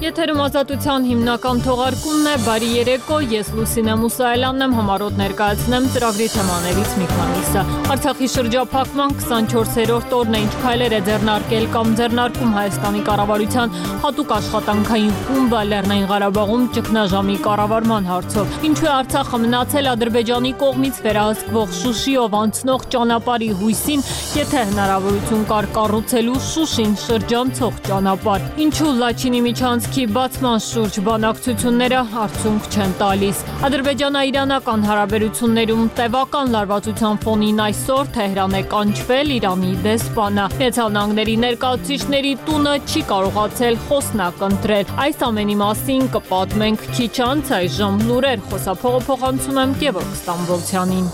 Եթերում ազատության հիմնական թողարկումն է, բարի երեկո, ես Լուսինե Մուսայելյանն եմ, համառոտ ներկայացնեմ ծրագրի թեմաներից մի քանիսը։ Արցախի շրջափակման 24-րդ օրն է, ինչ քայլեր է ձեռնարկել կամ ձեռնարկում Հայաստանի կառավարության հատուկ աշխատանքային խումբը Լեռնային Ղարաբաղում ճգնաժամի կառավարման հարցով։ Ինչու է Արցախը մնացել Ադրբեջանի կողմից վերահսկվող Շուշիով անցնող ճանապարհի հույսին, եթե հնարավորություն կար կառուցելու Շուշին շրջանցող ճանապարհ։ Ինչու Լաչինի միջանցքի բացման շուրջ բանակցությունները արդյունք չեն տալիս։ Ադրբեջանա-իրանական հարաբերություններում տևական լարվածության ֆոնին այսօր Թեհրան է կանչվել Իրանի դեսպանը։ Միացյալ Նահանգների ներկայացուցիչների տունը չի կարողացել խոսնակ ընտրել։ Այս ամենի մասին կպատմենք քիչ անց, այժմ լուրեր, խոսափողը փոխանցում եմ Գևորգ Ստամբոլցյանին։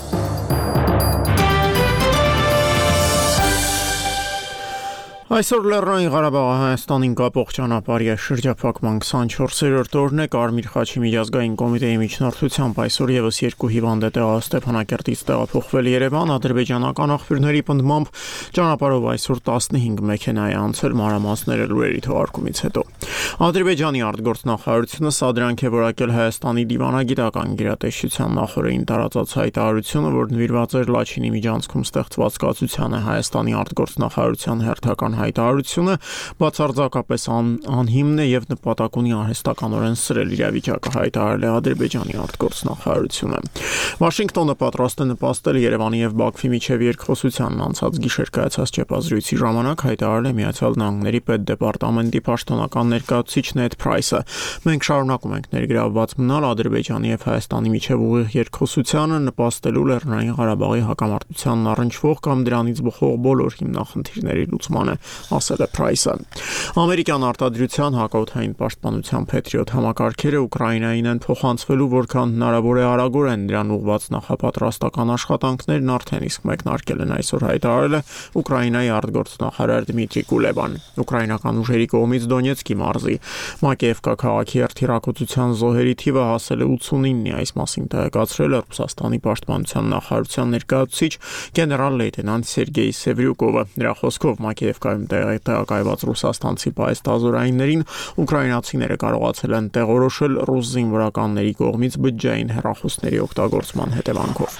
Այսօր Լեռնային Ղարաբաղը Հայաստանին կապող ճանապարհի շրջափակման 24-րդ օրն է, Կարմիր խաչի միջազգային կոմիտեի միջնորդությամբ այսօր եւս երկու հիվանդ է Ստեփանակերտից տեղափոխվել Երևան, ադրբեջանական աղբյուրների պնդմամբ ճանապարհով այսօր 15 մեքենա է անցել, մանրամասները լուրերի թողարկումից հետո։ Ադրբեջանի արտգործնախարարությունը սադրանք է որակել Հայաստանի դիվանագիտական գերատեսչության նախորդին տարածած հայտարարությունը, որ նվիրված էր Լաչինի միջանցքում ստեղծված կացությանը։ Հայաստանի արտգործնախարարության հերթական հայտարարությունը բացարձակապես անհիմն է եւ նպատակ ունի արհեստականորեն սրել իրավիճակը, հայտարարել է Ադրբեջանի արտգործնախարարությունը։ Վաշինգտոնը պատրաստ է նպաստել Երևանի եւ Բաքվի միջև երկխոսությանն անցած գիշեր կայացած ճեպազրույցի ժամանակ, հայտարարել է Միացյալ Նահանգների պետդեպարտամենտի պաշտոնական ներկայացուցիչ Նեդ Փրայսը։ Մենք շարունակում ենք ներգրավված մնալ Ադրբեջանի եւ Հայաստանի միջև ուղիղ երկխոսությանը, նպաստելու Լեռնային Ղարաբաղի հակամարտությանն առնչվող կամ դրանից բխող բոլոր հիմնախնդիրների լուծմանը, ասել է Փրայսը։ Ամերիկյան արտադրության հակաօդային պաշտպանության Patriot համակարգերը Ուկրաինային են փոխանցվելու, որքան հնարավոր է արագորեն, դրան ուղղված նախապատրաստական աշխատանքներն արդեն իսկ մեկնարկել են, այսօր հայտարարել է Ուկրաինայի արտգործնախարար Դմիտրի Կուլեբան։ Ուկրաինական ուժերի կողմից Դոնեցկի մարզի Մակեևկա քաղաքի հերթիրակոծության զոհերի թիվը հասել է 89-ի, այս մասին տեղեկացրել է Ռուսաստանի պաշտպանության նախարարության ներկայացուցիչ գեներալ-լեյտենանտ Սերգեյ Սևրյուկովը։ Նրա խոսքով Մակեևկայում տեղակայված ռուսաստանցի պայստազորայիններին ուկրաինացիները կարողացել են տեղորոշել ռուս զինվորականների կողմից բջջային հեռախոսների օգտագործման հետևանքով։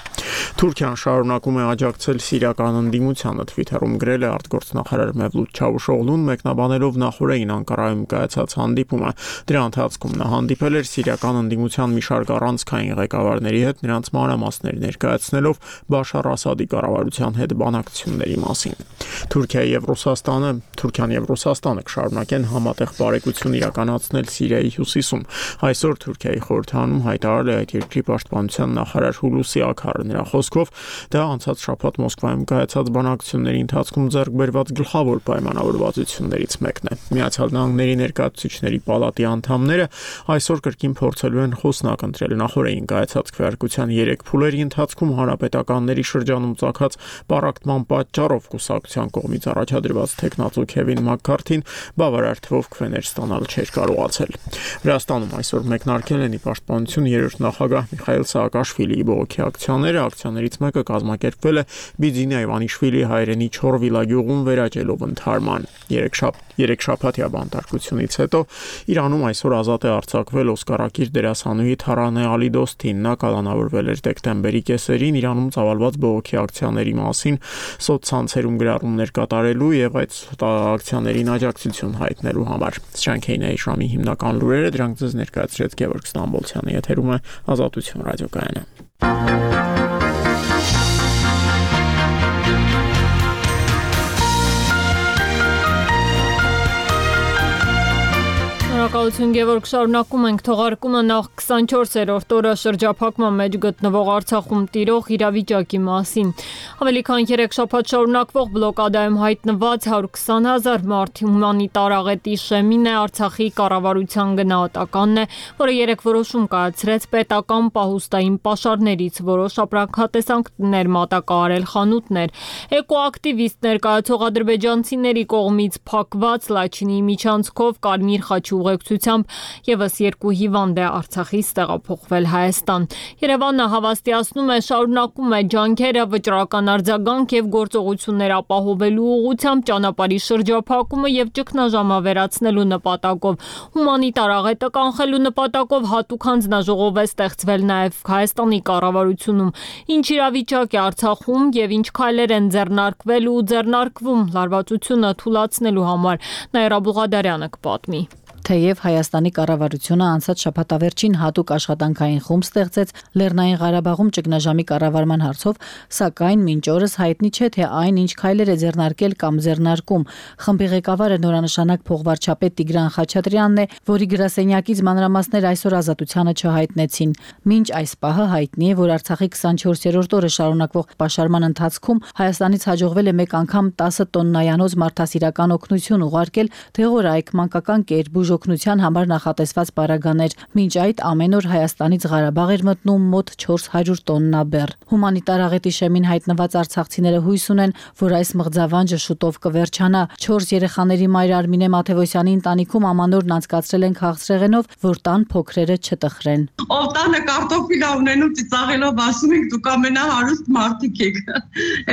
Թուրքիան շարունակում է աջակցել սիրիական ընդդիմությանը, Twitter-ում գրել է արտգործնախարար Մևլութ Չավուշօղլուն, մեկնաբանելով նախորդին Անկարայում կայացած հանդիպումը։ Դրա ընթացքում նա հանդիպել էր սիրիական ընդդիմության մի շարք առանցքային ղեկավարների հետ, նրանց մանրամասներ ներկայացնելով Բաշար Ասադի կառավարության հետ բանակցությունների մասին։ Թուրքիան եւ Ռուսաստանը կշարունակեն համատեղ բարեկեցություն իրականացնել Սիրիայի հյուսիսում։ Այսօր Թուրքիայի խորհրդանում հայտարարել է այդ երկրի պաշտպանության նախարար Հուլուսի Աքարը։ Նրա խոսքով դա անցած շաբաթ Մոսկվայում կայացած բանակցությունների ընթացքում ձեռք բերված գլխավոր պայմանավորվածություններից մեկն է։ Միացյալ Նահանգների ներկայացուցիչների պալատի անդամները այսօր կրկին փորձելու են խոսնակ ընտրել նախորդին կայացած քվեարկության 3 փուլերի ընթացքում հանրապետականների շրջանում ծագած պառակտման պատճառով կուսակցության կողմից առաջադրված տեխնացու Քևին Մաքքարթին բավարար թվով քվեներ ստանալ չէր կարողացել։ Վրաստանում այսօր մեկնարկել են ի պաշտպանություն 3-րդ նախագահ Միխայիլ Սաակաշվիլիի բողոքի ակցիաները, ակցիաներից մեկը կազմակերպվել է Բիձինա Իվանիշվիլի հայրենի Չորվիլա գյուղում վերաճելով ընդհարման։ 3 շաբաթյա բանտարկությունից հետո Իրանում այսօր ազատ է արձակվել օսկարակիր դերասանուհի Թարանե Ալիդոստին, նա կալանավորվել էր դեկտեմբերի կեսերին Իրանում ծավալված բողոքի ակցիաների մասին սոցցանցերում գրառումներ կատարելու եւ այդ ակցիաներին աջակցություն հայտնելու համար։ Սրանք էին այժմի հիմնական լուրերը, դրանք ձեզ ներկայացրեց Գևորգ Ստամբոլցյանը, եթերում է Ազատություն ռադիոկայանը։ Շնորհակալություն Գևորգ, շարունակում ենք թողարկումը նախ 24-րդ օրը շրջափակման մեջ գտնվող Արցախում տիրող իրավիճակի մասին։ Ավելի քան 3 շաբաթ շարունակվող բլոկադայում հայտնված 120,000 մարդ հումանիտար աղետի շեմին է, Արցախի կառավարության գնահատականն է, որը երեք որոշում կայացրեց պետական պահուստային պաշարներից, որոշ ապրանքատեսակներ մատակարարել խանութներ։ Էկոակտիվիստ ներկայացող ադրբեջանցիների կողմից փակված Լաչինի միջանցքով Կարմիր խաչի ուղեկցությամբ աջակցությամբ եւս 2 հիվանդ է Արցախից տեղափոխվել Հայաստան։ Երևանը հավաստիացնում է, շարունակում է ջանքերը վճռական արձագանք եւ գործողություններ ապահովելու ուղղությամբ ճանապարհի շրջափակումը եւ ճգնաժամավերացնելու նպատակով։ Հումանիտար աղետը կանխելու նպատակով հատուկ հանձնաժողով է ստեղծվել նաեւ Հայաստանի կառավարությունում։ Ինչ իրավիճակ է Արցախում եւ ինչ քայլեր են ձեռնարկվել ու ձեռնարկվում լարվածությունը թույլատնելու համար, Նաիրա Բուղադարյանը կպատմի։ Թեև Հայաստանի կառավարությունը անցած շաբաթավերջին հատուկ աշխատանքային խումբ ստեղծեց Լեռնային Ղարաբաղում ճգնաժամի կառավարման հարցով, սակայն մինչ օրս հայտնի չէ, թե այն ինչ քայլեր է ձեռնարկել կամ ձեռնարկում։ Խմբի ղեկավարը նորանշանակ փոխվարչապետ Տիգրան Խաչատրյանն է, որի գրասենյակից մանրամասներ այսօր Ազատությանը չհայտնեցին։ Մինչ այս պահը հայտնի է, որ Արցախի 24-րդ օրը շարունակվող պաշարման ընթացքում Հայաստանից հաջողվել է մեկ անգամ 10 տոննայանոց մարդասիրական օգնություն ուղարկել Թեղորայք մանկական կեր օգնության համար նախատեսված պարագաներ։ Մինչ այդ ամեն օր Հայաստանից Ղարաբաղ էր մտնում մոտ 400 տոննա բեռ։ Հումանիտար աղետի շեմին հայտնված արցախցիները հույս ունեն, որ այս մղձավանջը շուտով կվերջանա։ 4 երեխաների մայր Արմինե Մաթևոսյանի ընտանիքում ամանորն անցկացրել են քաղցրեղենով, որ տան փոքրերը չտխրեն։ Ով տանը կարտոֆիլ ունենում ծիծաղելով ասում ենք դուք ամենահարուստ մարդիկ եք։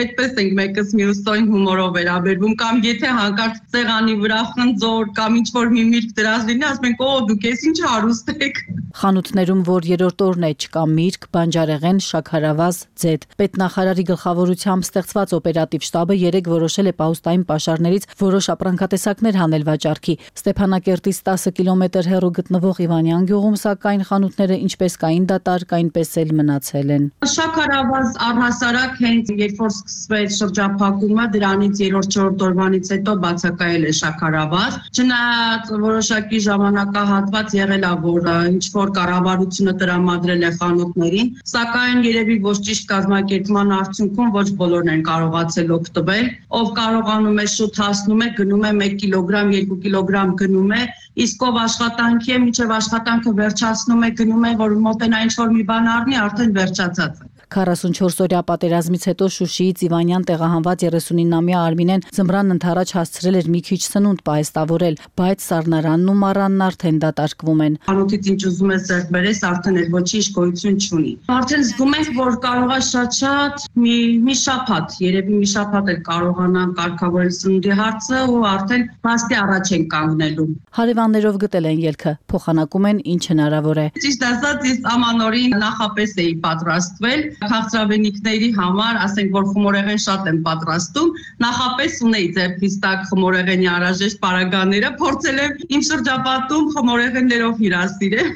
Այդպես ենք մեկս մյուսին հումորով վերաբերվում, կամ եթե հանկարծ սեղանի վրա խնձոր կամ ինչ որ մի միրգ դրազդինի, ասում ենք օ դուք էս ինչ հարուստ եք։ Խանութներում, որ երրորդ օրն է, չկա միրգ, բանջարեղեն, շաքարավազ, ձետ։ Պետնախարարի գլխավորությամբ ստեղծված օպերատիվ շտաբը 3 որոշել է պահուստային պաշարներից որոշ ապրանքատեսակներ հանել վաճառքի։ Ստեփանակերտից 10 կիլոմետր հեռու գտնվող Իվանյան գյուղում, սակայն խանութները ինչպես կային դատարկ, այնպես էլ մնացել են։ Շաքարավազ առհասարակ հենց երբ որ սկսվեց շրջափակումը, դրանից 3-4 օրվանից հետո բացակայել է շաքարավազ։ Չնայած որոշակի ժամանակահատված եղել է, որ ինչ որ կառավարությունը տրամադրել է խանութներին, սակայն երևի ոչ ճիշտ կազմակերպման արդյունքում ոչ բոլորն են կարողացել օգտվել։ Ով կարողանում է շուտ հասնում է, գնում է 1 կիլոգրամ, 2 կիլոգրամ գնում է, իսկ ով աշխատանքի է, մինչև աշխատանքը վերջացնում է, գնում է, որ մոտենա ինչ որ մի բան առնի, արդեն վերջացած է։ 44-օրյա պատերազմից հետո Շուշիից Իվանյան տեղահանված 39-ամյա Արմինեն ձմռան ընթരാճ հասցրել էր մի քիչ սնունդ պահեստավորել, բայց սառնարանն ու մառանն արդեն դատարկվում են։ Անոթից ինչ ուզում ես ձեռք բերես, արդեն էլ ոչինչ գոյություն չունի։ Արդեն զգում ենք, որ կարող է շատ մի շաբաթ, երևի մի շաբաթ էլ կարողանան կարգավորել սնունդի հարցը ու արդեն փաստի առաջ են կանգնելու։ Հարևաններով գտել են ելքը, փոխանակում են ինչ հնարավոր է։ Ճիշտ ասած, ես ամանորին նախապես էի պատրաստվել քաղցրավենիքների համար, ասենք որ խմորեղեն շատ եմ պատրաստում, նախապես ունեի ձեռքիս տակ խմորեղենի անհրաժեշտ պարագաները, փորձել եմ իմ շրջապատում խմորեղեններով հյուրասիրել։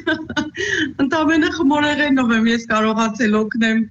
Ընդամենը խմորեղենով եմ ես կարողացել օգնել։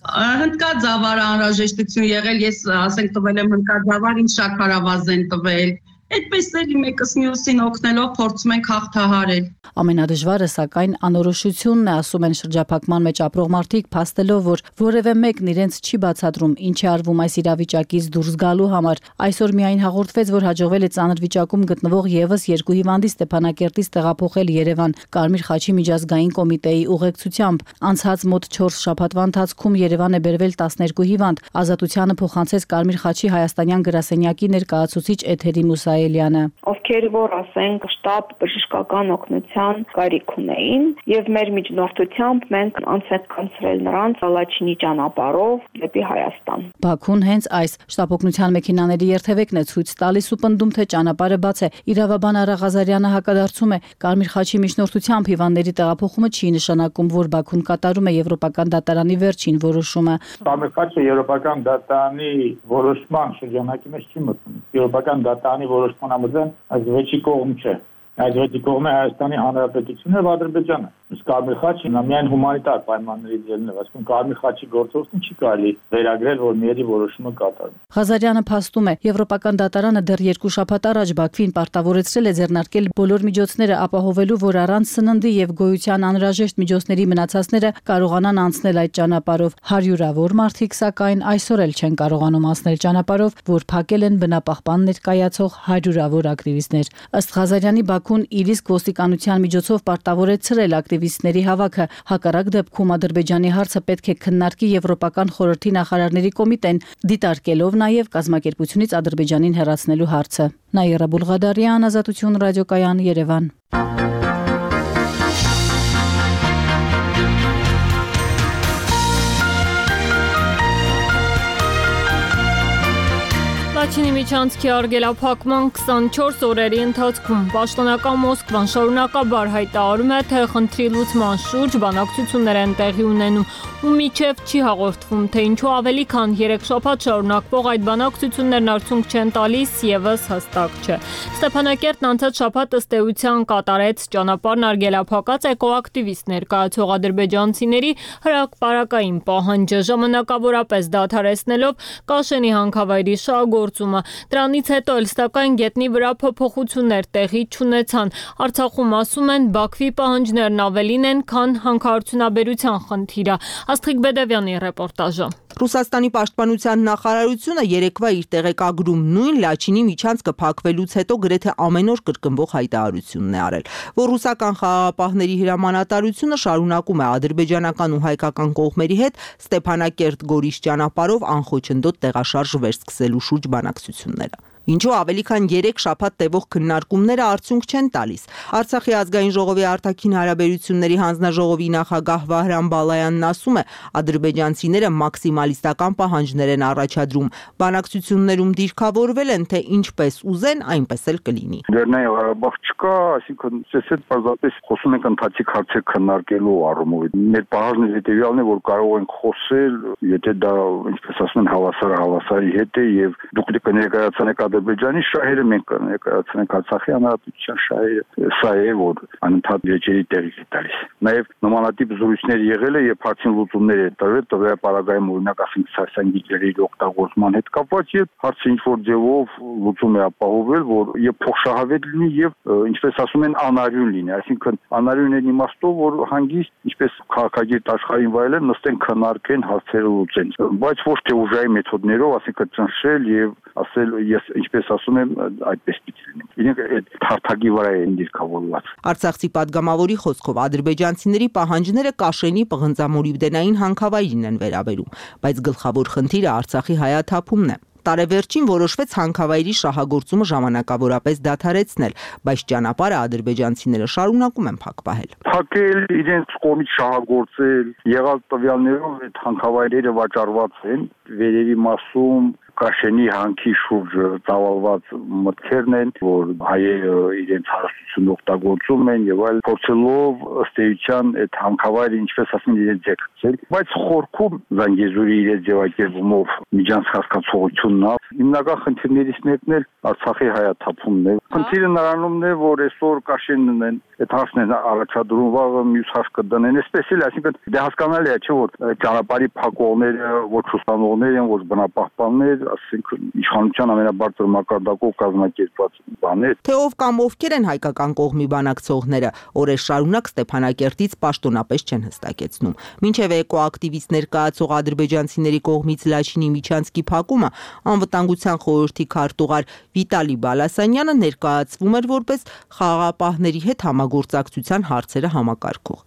Հնդկաձավար անհրաժեշտություն եղել, ես ասենք տվել եմ հնդկաձավար, ինձ շաքարավազ են տվել։ Այդպես էլ մեկս մյուսին օգնելով փորձում ենք հաղթահարել։ Ամենադժվարը սակայն անորոշությունն է, ասում են շրջափակման մեջ ապրող մարդիկ, փաստելով, որ որևէ մեկն իրենց չի բացատրում ինչ է արվում այս իրավիճակից դուրս գալու համար։ Այսօր միայն հաղորդվեց, որ հաջողվել է ծանր վիճակում գտնվող եւս 2 հիվանդի Ստեփանակերտից տեղափոխել Երևան Կարմիր խաչի միջազգային կոմիտեի ուղեկցությամբ։ Անցած մոտ 4 շաբաթվա ընթացքում Երևան է բերվել 12 հիվանդ։ Ազատությանը փոխանցեց Կարմիր խաչի հայաստանյան գրասենյակի ներկայացուցիչ Էթերի Մուսայելյանը։ Ովքեր որ ասենք շտաբ բժշկական օգնության կարիք ունեին եւ մեր միջնորդությամբ մենք անց ենք կանցրել նրանց Ալաչինի ճանապարհով դեպի Հայաստան։ Բաքուն հենց այս շտապօգնության մեքենաների երթևեկն է ցույց տալիս ու պնդում, թե ճանապարհը բաց է։ Իրավաբան Արա Ղազարյանը հակադարձում է, Կարմիր խաչի միջնորդությամբ հիվանդների տեղափոխումը չի նշանակում, որ Բաքուն կատարում է եվրոպական դատարանի վերջին որոշումը։ Կարմիր խաչը եվրոպական դատարանի որոշման շրջանակի մեջ չի մտնում։ Եվրոպական դատարանի որոշման համաձայն այս վեճի կողմ չէ։ Այս վեճի կողմը Հայաստանի Հանրապետությունն եւ Ադրբեջանը։ Իսկ Կարմիր խաչը միայն հումանիտար պայմանների ձեռն է, այսինքն Կարմիր խաչի գործողությունը չի կարելի վերագրել, որ միերի որոշումը կատարվում։ Ղազարյանը փաստում է, Եվրոպական դատարանը դեռ 2 շաբաթ առաջ Բաքվին պարտավորեցրել է ձեռնարկել բոլոր միջոցները ապահովելու, որ առանց սննդի եւ գոյության անհրաժեշտ միջոցների մնացածները կարողանան անցնել այդ ճանապարհով։ Հարյուրավոր մարդիկ սակայն այսօր էլ չեն կարողանում անցնել ճանապարհով, որ փակել են բնապահպան ներկայացող հարյուրավոր ակտիվիստներ։ Ըստ Ղազարյանի, Բաքուն իր իսկ ոստիկանության միջոցով պարտավորեցրել ակտիվիստների հավաքը։ Հակառակ դեպքում Ադրբեջանի հարցը պետք է քննարկի Եվրոպական խորհրդի նախարարների կոմիտեն, դիտարկելով նաև կազմակերպությունից Ադրբեջանին հեռացնելու հարցը։ Նաիրա Բուղադարյան, Ազատություն ռադիոկայան, Երևան։ Լաչինի միջանցքի արգելափակման 24 օրերի ընթացքում պաշտոնական Մոսկվան շարունակաբար հայտարարում է, թե խնդրի լուծման շուրջ բանակցություններ են տեղի ունենում ու միջև չի հաղորդվում, թե ինչու ավելի քան 3 շաբաթ շարունակվող այդ բանակցություններն արդյունք չեն տալիս ևս հստակ չէ։ Ստեփանակերտն անցած շաբաթ ըստ էության կատարեց ճանապարհն արգելափակած էկոակտիվիստ ներկայացող ադրբեջանցիների հրապարակային պահանջը, ժամանակավորապես դադարեցնելով Կաշենի հանքավայրի շահագործումը։ Դրանից հետո էլ սակայն գետնի վրա փոփոխություններ տեղի չունեցան։ Արցախում ասում են Բաքվի պահանջներն ավելին են, քան հանքարդյունաբերության խնդիրը։ Աստղիկ Բեդևյանի ռեպորտաժը։ Ռուսաստանի պաշտպանության նախարարությունը երեկվա իր տեղեկագրում նույն Լաչինի միջանցքը փակվելուց հետո գրեթե ամեն օր կրկնվող հայտարարությունն է արել, որ ռուսական խաղաղապահների հրամանատարությունը շարունակում է ադրբեջանական ու հայկական կողմերի հետ Ստեփանակերտ-Գորիս ճանապարհով անխոչնդոտ տեղաշարժ վերսկսելու շուրջ բանակցությունները։ Ինչու ավելի քան 3 շաբաթ տևող քննարկումները արդյունք չեն տալիս։ Արցախի ազգային ժողովի արտաքին հարաբերությունների հանձնաժողովի նախագահ Վահրամ Բալայանն ասում է, ադրբեջանցիները մաքսիմալիստական պահանջներ են առաջադրում, բանակցություններում դիրքավորվել են, թե ինչպես ուզեն, այնպես էլ կլինի։ Լեռնային Ղարաբաղ չկա, այսինքն ցեսետ պարզապես խոսում ենք ընթացիկ հարցեր քննարկելու առումով։ Մեր պահանջն հետեւյալն է, որ կարող ենք խոսել, եթե դա, ինչպես ասում են, հավասարի հետ է եւ դուք կներկայացնեք Ադրբեջանի շահերը, մենք կներկայացնենք Արցախի հանրապետության շահերը, սա է, որ անընդհատ վեճերի տեղի է տալիս։ Նաև նմանատիպ զրույցներ եղել է, երբ հարցին լուծումներ է տրվել, տվյալ պարագայում օրինակ ասենք սարսանգիների օգտագործման հետ կապված, երբ հարցը ինչ-որ ձևով լուծում է ապահովել, որ եւ փոխշահավետ լինի եւ ինչպես ասում են անարյուն լինի, այսինքն անարյուն են իմաստով, որ հանգիստ, ինչպես քաղաքագիր աշխարհին վայելեն, նստեն քննարկեն, հարցերը լուծեն, բայց ոչ թե ուժային մեթոդներով, ասենք ճնշել եւ ասել ես ինչպես ասում եմ, այդպես պիտի լինի։ Իրենք այդ հարթակի վրա են դիրքավորված։ Արցախցի падգամավորի խոսքով ադրբեջանցիների պահանջները Կաշենի պղնձամոլիբդենային հանքավայրին են վերաբերում, բայց գլխավոր խնդիրը Արցախի հայաթափումն է։ Տարեվերջին որոշվեց հանքավայրի շահագործումը ժամանակավորապես դադարեցնել, բայց ճանապարհը ադրբեջանցիները շարունակում են փակ պահել։ Փակել, իրենց կողմից շահագործել, եղած տվյալներով այդ հանքավայրերը վաճառված են, վերևի մասում Կաշենի հանքի շուրջ ծավալված մտքերն են, որ հայերը իրենց հարստությունը օգտագործում են եւ այլ փորձելով ըստ էության այդ հանքավայրը ինչպես ասում իրենց ձգել, բայց խորքում Զանգեզուրի իրենց ձևակերպումով միջանց հասկացողությունն է։ Հիմնական խնդիրներից մեկն էլ Արցախի հայաթափումն է։ Խնդիրը նրանումն է, որ այսօր Կաշենն են այդ հարցն են առաջադրում, վաղը մյուս հարց կդնեն, այսպես էլ, այսինքն դե հասկանալի է, չէ՞ որ ճանապարհի փակողները ոչ ուսանողներ են, ոչ բնապահպաններ, ասենք իշխանության ամենաբարձր մակարդակով կազմակերպված բաներ։ Թե ով կամ ովքեր են հայկական կողմի բանակցողները, օրեր շարունակ Ստեփանակերտից պաշտոնապես չեն հստակեցնում։ Մինչև էկոակտիվիստ ներկայացող ադրբեջանցիների կողմից Լաչինի միջանցքի փակումը անվտանգության խորհրդի քարտուղար Վիտալի Բալասանյանը ներկայացվում էր որպես խաղաղապահների հետ համագործակցության հարցերը համակարգող։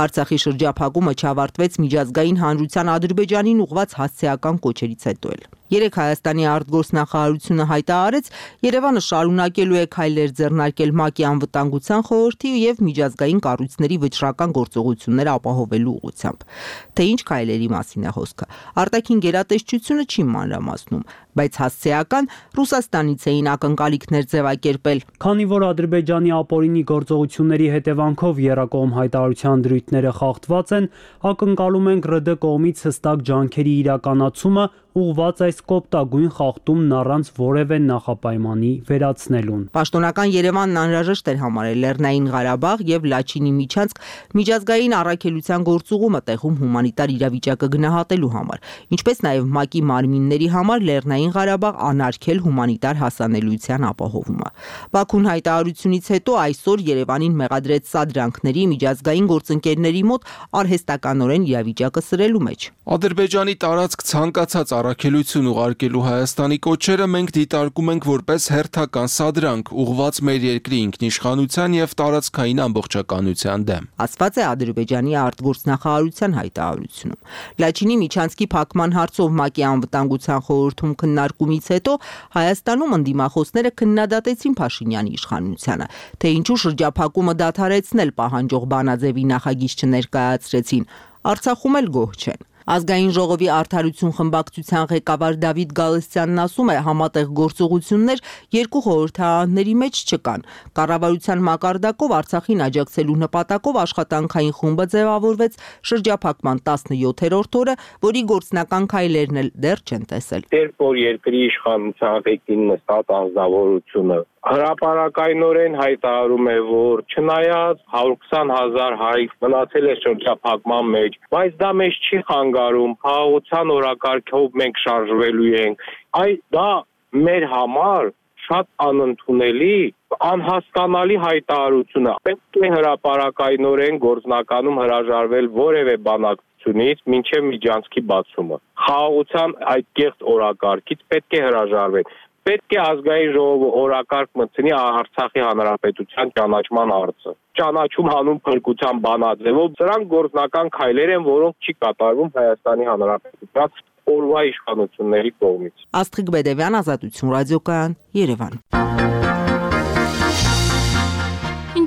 Արցախի շրջափակումը չավարտվեց միջազգային հանրության Ադրբեջանին ուղղված հասցեական կոչերից հետո էլ։ Երեք Հայաստանի արտգործնախարարությունը հայտարարեց, Երևանը շարունակելու է քայլեր ձեռնարկել ՄԱԿ-ի անվտանգության խորհրդի եւ միջազգային կառույցների վճռական գործողությունները ապահովելու ուղղությամբ։ Թե ինչ քայլերի մասին է խոսքը, արտաքին գերատեսչությունը չի մանրամասնում, բայց հասցեական Ռուսաստանից էին ակնկալիքներ ձևակերպել։ Քանի որ Ադրբեջանի ապօրինի գործողությունների հետևանքով եռակողմ հայտարարության դրույթները խախտված են, ակնկալում ենք ՌԴ կողմից հստակ ջանքերի իրականացումը ուղղված այս կոպտագույն խախտումն առանց որևէ նախապայմանի վերացնելուն։ Պաշտոնական Երևանն անհրաժեշտ էր համարել Լեռնային Ղարաբաղ եւ Լաչինի միջանցք միջազգային առաքելության գործուղումը տեղում հումանիտար իրավիճակը գնահատելու համար, ինչպես նաեւ ՄԱԿ-ի մարմինների համար Լեռնային Ղարաբաղ անարգել հումանիտար հասանելիության ապահովումը։ Բաքուն հայտարարությունից հետո այսօր Երևանին մեղադրեց սադրանքների միջազգային գործընկերների մոտ արհեստականորեն իրավիճակը սրելու մեջ։ Ադրբեջանի տարածք ցանկացած առաքելություն ուղարկելու Հայաստանի կոչերը մենք դիտարկում ենք որպես հերթական սադրանք ուղղված մեր երկրի ինքնիշխանության եւ տարածքային ամբողջականության դեմ, ասված է Ադրբեջանի արտգործնախարարության հայտարարությունում։ Լաչինի միջանցքի փակման հարցով ՄԱԿ-ի անվտանգության խորհրդում քննարկումից հետո Հայաստանում ընդդիմախոսները քննադատեցին Փաշինյանի իշխանությանը, թե ինչու շրջափակումը դադարեցնել պահանջող բանաձևի նախագիծ չներկայացրեցին։ Արցախում էլ գոհ չեն։ Ազգային ժողովի արդարություն խմբակցության ղեկավար Դավիթ Գալստյանն ասում է, համատեղ գործողություններ երկու խորհրդարանների մեջ չկան։ Կառավարության մակարդակով Արցախին աջակցելու նպատակով աշխատանքային խումբը ձևավորվեց շրջափակման 17-րդ օրը, որի գործնական քայլերն էլ դեռ չեն տեսել։ Երբ որ երկրի իշխանության ղեկին նստած անձնավորությունը հրապարակայնորեն հայտարարում է, որ չնայած 120,000 հայ մնացել է շրջափակման մեջ, բայց դա մեզ չի խանգարում, խաղաղության օրակարգով մենք շարժվելու ենք, դա մեր համար շատ անընդունելի, անհասկանալի հայտարարություն է։ Պետք է հրապարակայնորեն գործնականում հրաժարվել որևէ բանակցությունից մինչև միջանցքի բացումը։ Խաղաղության այդ կեղծ օրակարգից պետք է հրաժարվել։ Պետք է ազգային ժողովը օրակարգ մտցնի Արցախի հանրապետության ճանաչման հարցը։ Ճանաչում հանուն փրկության բանաձևով սրանք գործնական քայլեր են, որոնք չի կատարվում Հայաստանի հանրապետության օրվա իշխանությունների կողմից։ Աստղիկ Բեդևյան, Ազատություն ռադիոկայան, Երևան։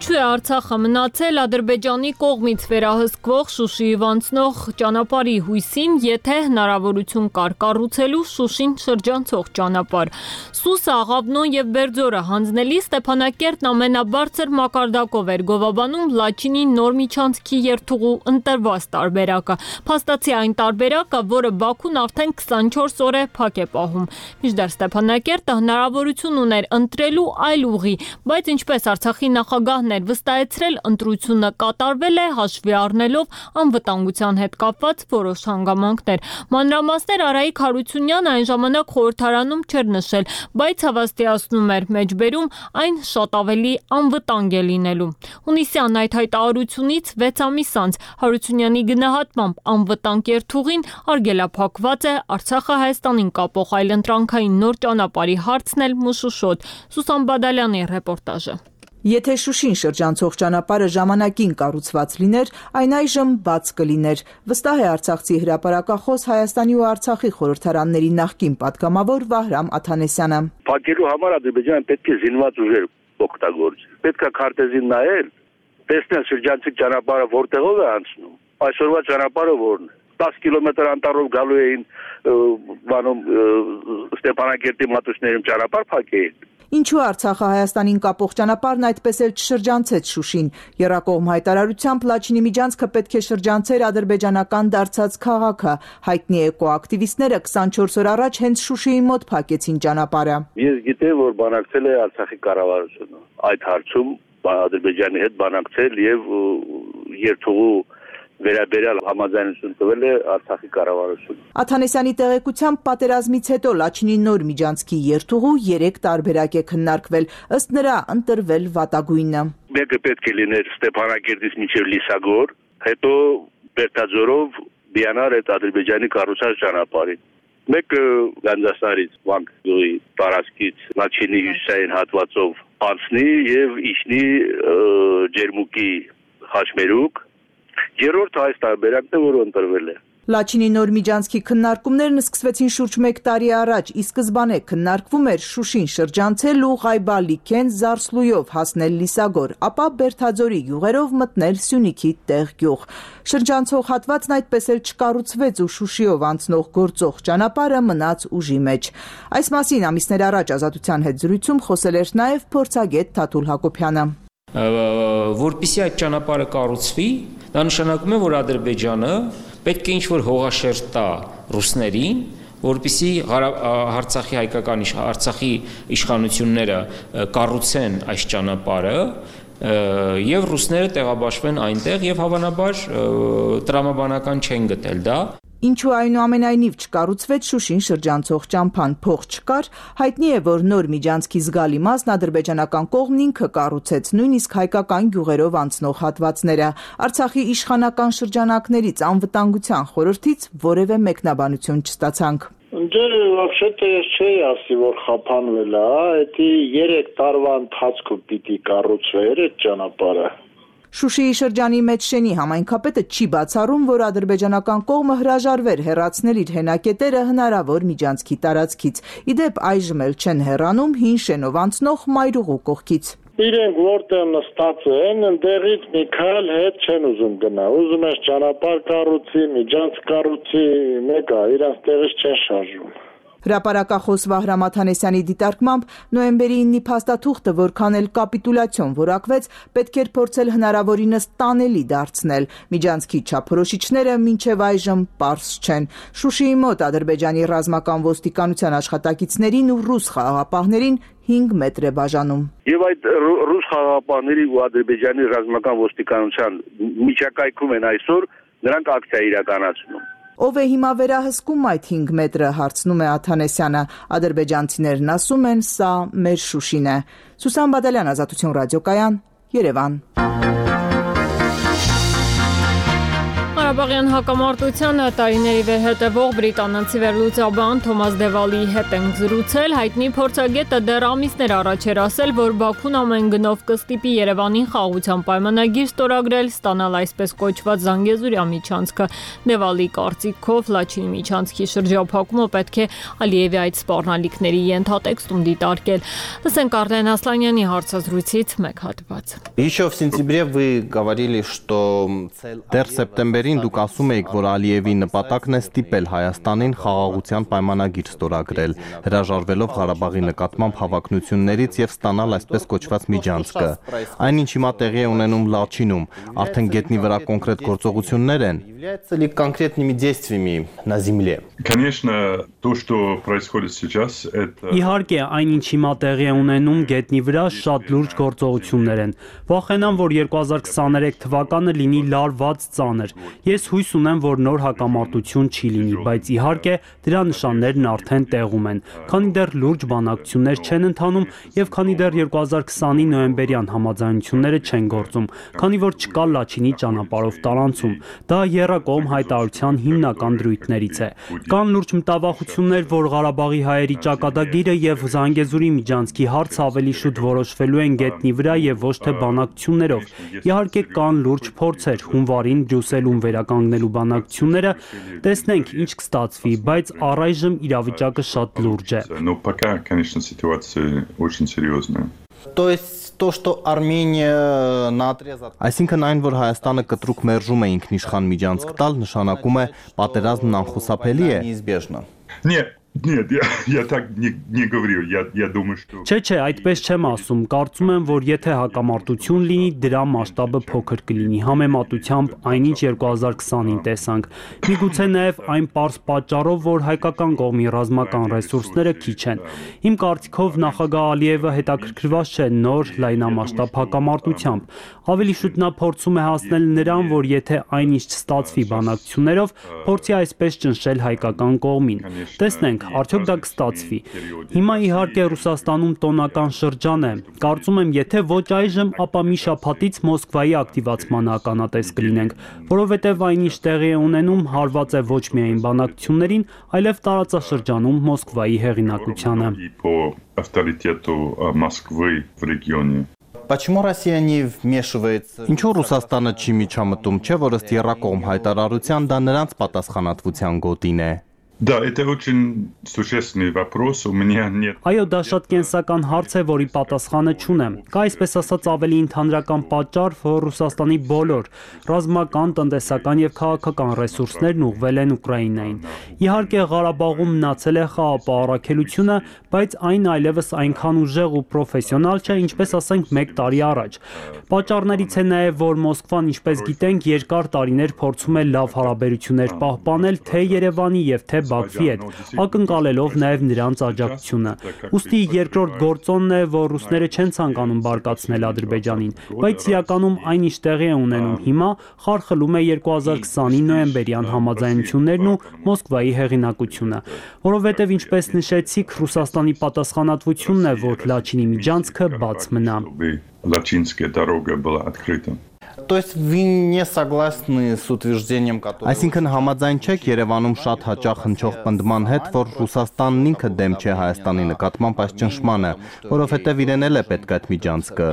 Ինչու է Արցախը մնացել Ադրբեջանի կողմից վերահսկվող Շուշիով անցնող ճանապարհի հույսին, եթե հնարավորություն կար կառուցելու Շուշին շրջանցող ճանապարհ։ Սուսը, Աղավնոն եւ Բերձորը հանձնելի Ստեփանակերտն ամենաբարձր մակարդակով էր գովաբանում Լաչինի նոր միջանցքի երթուղու ընտրված տարբերակը։ Փաստացի այն տարբերակը, որը Բաքուն արդեն 24 օր է փակ է պահում։ Մինչդեռ Ստեփանակերտը հնարավորություն ուներ ընտրելու այլ ուղի, բայց ինչպես Արցախի նախագահ վստահեցրել, ընտրությունը կատարվել է հաշվի առնելով անվտանգության հետ կապված որոշ հանգամանքներ։ Մանրամասներ Արայիկ Հարությունյանը այն ժամանակ խորհրդարանում չէր նշել, բայց հավաստիացնում էր մեջբերում այն շատ ավելի անվտանգ է լինելու։ Հունիսյան այդ հայտարարությունից 6 ամիս անց Հարությունյանի գնահատմամբ անվտանգ երթուղին արգելափակված է Արցախը Հայաստանին կապող այլընտրանքային նոր ճանապարհի հարցն էլ մշուշոտ։ Սուսան Բադալյանի ռեպորտաժը։ Եթե Շուշին շրջանցող ճանապարհը ժամանակին կառուցված լիներ, այն այժմ բաց կլիներ, վստահ է Արցախցի հրապարակախոս Հայաստանի ու Արցախի խորհրդարանների նախկին պատգամավոր Վահրամ Աթանեսյանը։ Փակելու համար Ադրբեջանը պետք է զինված ուժեր օգտագործի։ Պետք է քարտեզին նայել, տեսնել շրջանցիկ ճանապարհը որտեղով է անցնում։ Այսօրվա ճանապարհը որն է։ 10 կիլոմետր անտառով գալու էին Ստեփանակերտի մատուցներում ճանապարհ փակեին։ Ինչու Արցախը Հայաստանին կապող ճանապարհն այդպես էլ չշրջանցեց Շուշին։ Եռակողմ հայտարարությամբ Լաչինի միջանցքը պետք է շրջանցեր ադրբեջանական դարձած քաղաքը։ Հայտնի էկոակտիվիստները 24 օր առաջ հենց Շուշիի մոտ փակեցին ճանապարհը։ Ես գիտեմ, որ բանակցել է Արցախի կառավարությունը այդ հարցում Ադրբեջանի հետ բանակցել եւ երթուղու վերաբերյալ համաձայնություն տվել է Արցախի կառավարությունը։ Աթանեսյանի տեղեկությամբ պատերազմից հետո Լաչինի նոր միջանցքի երթուղու 3 տարբերակ է քննարկվել, ըստ նրա ընտրվել վատագույնը։ Մեկը պետք է լիներ Ստեփանակերտից մինչև Լիսագոր, հետո Բերտաձորով Բիանար այդ Ադրբեջանի կառուցած ճանապարհին։ Մեկը Գանձասարից Վանք գյուղի տարածքից Լաչինի հյուսիսային հատվածով անցնի եւ իջնի Ջերմուկի Խաչմերուկ։ Երրորդ այս տարբերակն է, որը ընտրվել է։ Լաչինի նոր միջանցքի քննարկումներն սկսվեցին շուրջ 1 տարի առաջ, ի սկզբանե քննարկվում էր Շուշին շրջանցել ու Ղայբալիքեն Զարսլույով հասնել Լիսագոր, ապա Բերթաձորի յուղերով մտնել Սյունիքի տեղ գյուղ։ Շրջանցող հատվածն այդպես էլ չկառուցվեց ու Շուշիով անցնող գործող ճանապարհը մնաց ուժի մեջ։ Այս մասին ամիսներ առաջ Ազատության հետ զրույցում խոսել էր նաև փորձագետ Թաթուլ Հակոբյանը։ Որպեսզի այդ ճանապարհը կառուցվի, դա նշանակում է, որ Ադրբեջանը պետք է ինչ-որ հողաշերտ տա ռուսներին, որպեսզի Արցախի իշխանությունները կառուցեն այս ճանապարհը եւ ռուսները տեղաբաշխվեն այնտեղ եւ հավանաբար տրամաբանական չեն գտել դա։ Ինչու այնուամենայնիվ չկառուցվեց Շուշին շրջանցող ճամփան, փող չկար, հայտնի է, որ նոր միջանցքի զգալի մասն ադրբեջանական կողմն ինքը կառուցեց, նույնիսկ հայկական գյուղերով անցնող հատվածները։ Արցախի իշխանական շրջանակներից անվտանգության խորհրդից որևէ մեկնաբանություն չստացանք։ Դե вообще-то ես չէի ասի, որ խափանվել է, էդի 3 տարվա ընթացքում պիտի կառուցվեր այդ ճանապարհը։ Շուշիի շրջանի մեջ շենի համայնքապետը չի բացառում, որ ադրբեջանական կողմը հրաժարվեր հեռացնել իր հենակետերը հնարավոր միջանցքի տարածքից։ Ի դեպ այժմ էլ չեն հեռանում հին շենով անցնող Մայրուղու կողքից։ իրենք որտեղ նստած են, ընդեղից մի քայլ հետ չեն ուզում գնա։ Ուզում են ճանապարհ կառուցի, միջանց կառուցի, մեկը իրանց տեղից չեն շարժում։ Հրապարակախոս Վահրամ Աթանեսյանի դիտարկմամբ նոյեմբերի 9-ի փաստաթուղթը որքան էլ կապիտուլյացիոն որակվեց, պետք էր փորձել հնարավորինս տանելի դարձնել։ Միջանցքի չափորոշիչները մինչև այժմ պարզ չեն։ Շուշիի մոտ Ադրբեջանի ռազմական ոստիկանության աշխատակիցներին ու ռուս խաղաղապահներին 5 մետր է բաժանում։ Եվ այդ ռուս խաղաղապահների ու Ադրբեջանի ռազմական ոստիկանության միջակայքում են այսօր նրանք ակցիա իրականացնում։ Ով է հիմա վերահսկում այդ 5 մետրը, հարցնում է Աթանեսյանը։ Ադրբեջանցիներն ասում են, սա մեր Շուշին է։ Սուսան Բադալյան, Ազատություն ռադիոկայան, Երևան։ Ղարաբաղյան հակամարտությանը տարիների վերհետևող բրիտանացի վերլուծաբան Թոմաս Դևալիի հետ ենք զրուցել։ Հայտնի փորձագետը դեռ ամիսներ առաջ էր ասել, որ Բաքուն ամեն գնով կստիպի Երևանին խաղաղության պայմանագիր ստորագրել, ստանալ այսպես կոչված Զանգեզուրյա միջանցքը։ Դևալիի կարծիքով Լաչինի միջանցքի շրջափակումը պետք է Ալիևի այդ սպառնալիքների ենթատեքստում դիտարկել։ Լսենք Արտեն Ասլանյանի հարցազրույցից մեկ հատված։ Еще в сентябре вы говорили, что դեռ սեպտեմբերին դուք ասում էիք, որ Ալիևի նպատակն է ստիպել Հայաստանին խաղաղության պայմանագիր ստորագրել, հրաժարվելով Ղարաբաղի նկատմամբ հավակնություններից եւ ստանալ այսպես կոչված միջանցքը։ Այնինչ հիմա տեղի է ունենում Լաչինում, արդեն գետնի վրա կոնկրետ գործողություններ են։ Является ли конкретными действиями на земле? Конечно, то, что происходит сейчас, это Իհարկե, այնինչ հիմա տեղի է ունենում գետնի վրա շատ լուրջ գործողություններ են։ Վախենամ, որ 2023 թվականը լինի լարված ծանր։ Ես հույս ունեմ, որ նոր հակամարտություն չի լինի, բայց իհարկե դրա նշաններն արդեն տեղում են։ Քանի դեռ լուրջ բանակցություններ չեն ընթանում եւ քանի դեռ 2020-ի նոյեմբերյան համաձայնությունները չեն գործում, քանի որ չկա Լաչինի ճանապարհով տարանցում։ Դա եռակողմ հայտարարության հիմնական դրույթներից է։ Կան լուրջ մտավախություններ, որ Ղարաբաղի հայերի ճակատագիրը եւ Զանգեզուրի միջանցքի հարցը ավելի շուտ որոշվելու են գետնի վրա եւ ոչ թե բանակցություններով։ Իհարկե կան լուրջ փորձեր հունվարին Բրյուսելում վերականգնելու բանակցությունները, տեսնենք ինչ կստացվի, բայց առայժմ իրավիճակը շատ լուրջ է։ Но пока, конечно, ситуация очень серьезная. То есть то, что Armenia наотрез Այսինքն այն, որ Հայաստանը կտրուկ մերժում է ինքնիշխան միջանցք տալ, նշանակում է պատերազմն անխուսափելի է։ Неизбежно. Нет, я так не говорю. Я думаю, что Չէ, այդպես չեմ ասում։ Կարծում եմ, որ եթե հակամարտություն լինի, դրա մասշտաբը փոքր կլինի։ Համեմատությամբ այնինչ 2020-ին տեսանք։ Միգուցե նաև այն պարզ պատճառով, որ հայկական կողմի ռազմական ռեսուրսները քիչ են։ Իմ կարծիքով նախագահ Ալիևը հետաքրքրված չէ նոր լայնամասշտաբ հակամարտությամբ։ Ավելի շուտ նա փորձում է հասնել նրան, որ եթե այնինչ չստացվի բանակցություններով, փորձի այսպես ճնշել հայկական կողմին։ Տեսնենք, արդյոք դա կստացվի։ Հիմա իհարկե Ռուսաստանում տոնական շրջան է։ Կարծում եմ, եթե ոչ այժմ, ապա մի շաբաթից Մոսկվայի ակտիվացման ականատես կլինենք, որովհետև այնինչ տեղի է ունենում հարված է ոչ միայն բանակցություններին, այլև տարածաշրջանում Մոսկվայի հեղինակությանը։ по авторитету Москвы в регионе. Почему Россия не вмешивается? Ինչու Ռուսաստանը չի միջամտում, չէ՞ որ ըստ եռակողմ հայտարարության դա նրանց պատասխանատվության գոտին է։ Да, это очень существенный вопрос. У меня нет. Այո, դա շատ կենսական հարց է, որի պատասխանը չունեմ։ Կա այսպես ասած ավելի ընդհանրական պատճառ, որ Ռուսաստանի բոլոր ռազմական, տնտեսական եւ քաղաքական ռեսուրսներն ուղղվել են Ուկրաինային։ Իհարկե Ղարաբաղում մնացել է խաղապահարակելությունը, բայց այն այլևս այնքան ուժեղ ու պրոֆեսիոնալ չէ, ինչպես ասենք 1 տարի առաջ։ Պատճառներից է նաեւ, որ Մոսկվան, ինչպես գիտենք, երկար տարիներ փորձում է լավ հարաբերություններ պահպանել թե Երևանի եւ թե Բաքվի հետ, ակնկալելով նաև նրանց աջակցությունը։ Ուստի երկրորդ գործոնն է, որ ռուսները չեն ցանկանում բարկացնել Ադրբեջանին, բայց իրականում այն ինչ տեղի է ունենում հիմա, խարխլում է 2020-ի նոյեմբերյան համաձայնություններն ու Մոսկվայի հեղինակությունը, որովհետև ինչպես նշեցիք, Ռուսաստանի պատասխանատվությունն է, որ Լաչինի միջանցքը բաց մնա։ Лачинская дорога была открыта. То есть вы не согласны с утверждением, которое Այսինքն համաձայն չեք Երևանում շատ հաճախ հնչող պնդման հետ, որ Ռուսաստանն ինքը դեմ չէ Հայաստանի նկատմամբ այս ճնշմանը, որովհետև իրեն էլ է պետք այդ միջանցքը։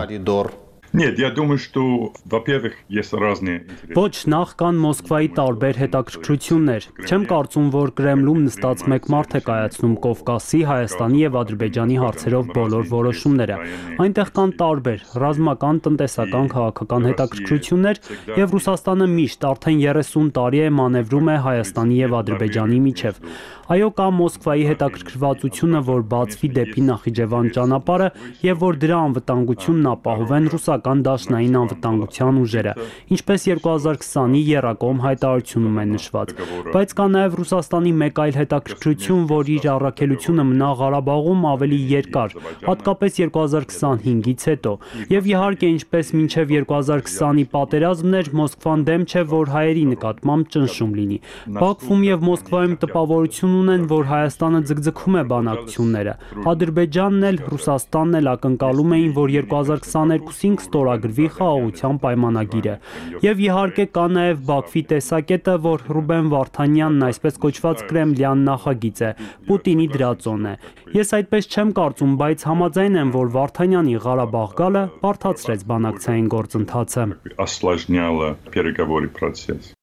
Нет, я думаю, что, во-первых, есть разные интересы. Ոչ, նախ կան Մոսկվայի տարբեր հետաքրքրություններ։ Չեմ կարծում, որ Կրեմլում նստած մեկ մարդ է կայացնում Կովկասի, Հայաստանի եւ Ադրբեջանի հարցերով բոլոր որոշումները։ Այնտեղ կան տարբեր ռազմական, տնտեսական, քաղաքական հետաքրքրություններ եւ Ռուսաստանը միշտ արդեն 30 տարի է մանևրում է Հայաստանի եւ Ադրբեջանի միջև։ Այո, կա Մոսկվայի հետաքրքրվածությունը, որ բացվի դեպի Նախիջևան ճանապարհը եւ որ դրա անվտանգությունն ապահովեն ռուսական դաշնային անվտանգության ուժերը, ինչպես 2020-ի եռակողմ հայտարարությունում է նշված։ Բայց կա նաեւ Ռուսաստանի մեկ այլ հետաքրքրություն, որ իր առաքելությունը մնա Ղարաբաղում ավելի երկար, հատկապես 2025-ից հետո։ Եվ իհարկե, ինչպես մինչև 2020-ի պատերազմն էր, Մոսկվան դեմ չէ, որ հայերի նկատմամբ ճնշում լինի։ Բաքվում եւ Մոսկվայում տպավորություն ունեն, որ Հայաստանը ձգձգում է բանակցությունները։ Ադրբեջանն էլ, Ռուսաստանն էլ ակնկալում էին, որ 2022-ին կստորագրվի խաղաղության պայմանագիրը։ Եվ իհարկե կա նաև Բաքվի տեսակետը, որ Ռուբեն Վարդանյանն այսպես կոչված կրեմլյան նախագիծ է, Պուտինի դրածոն է։ Ես այդպես չեմ կարծում, բայց համաձայն եմ, որ Վարդանյանի Ղարաբաղ գալը բարդացրեց բանակցային գործընթացը։ Осложняло переговорный процесс.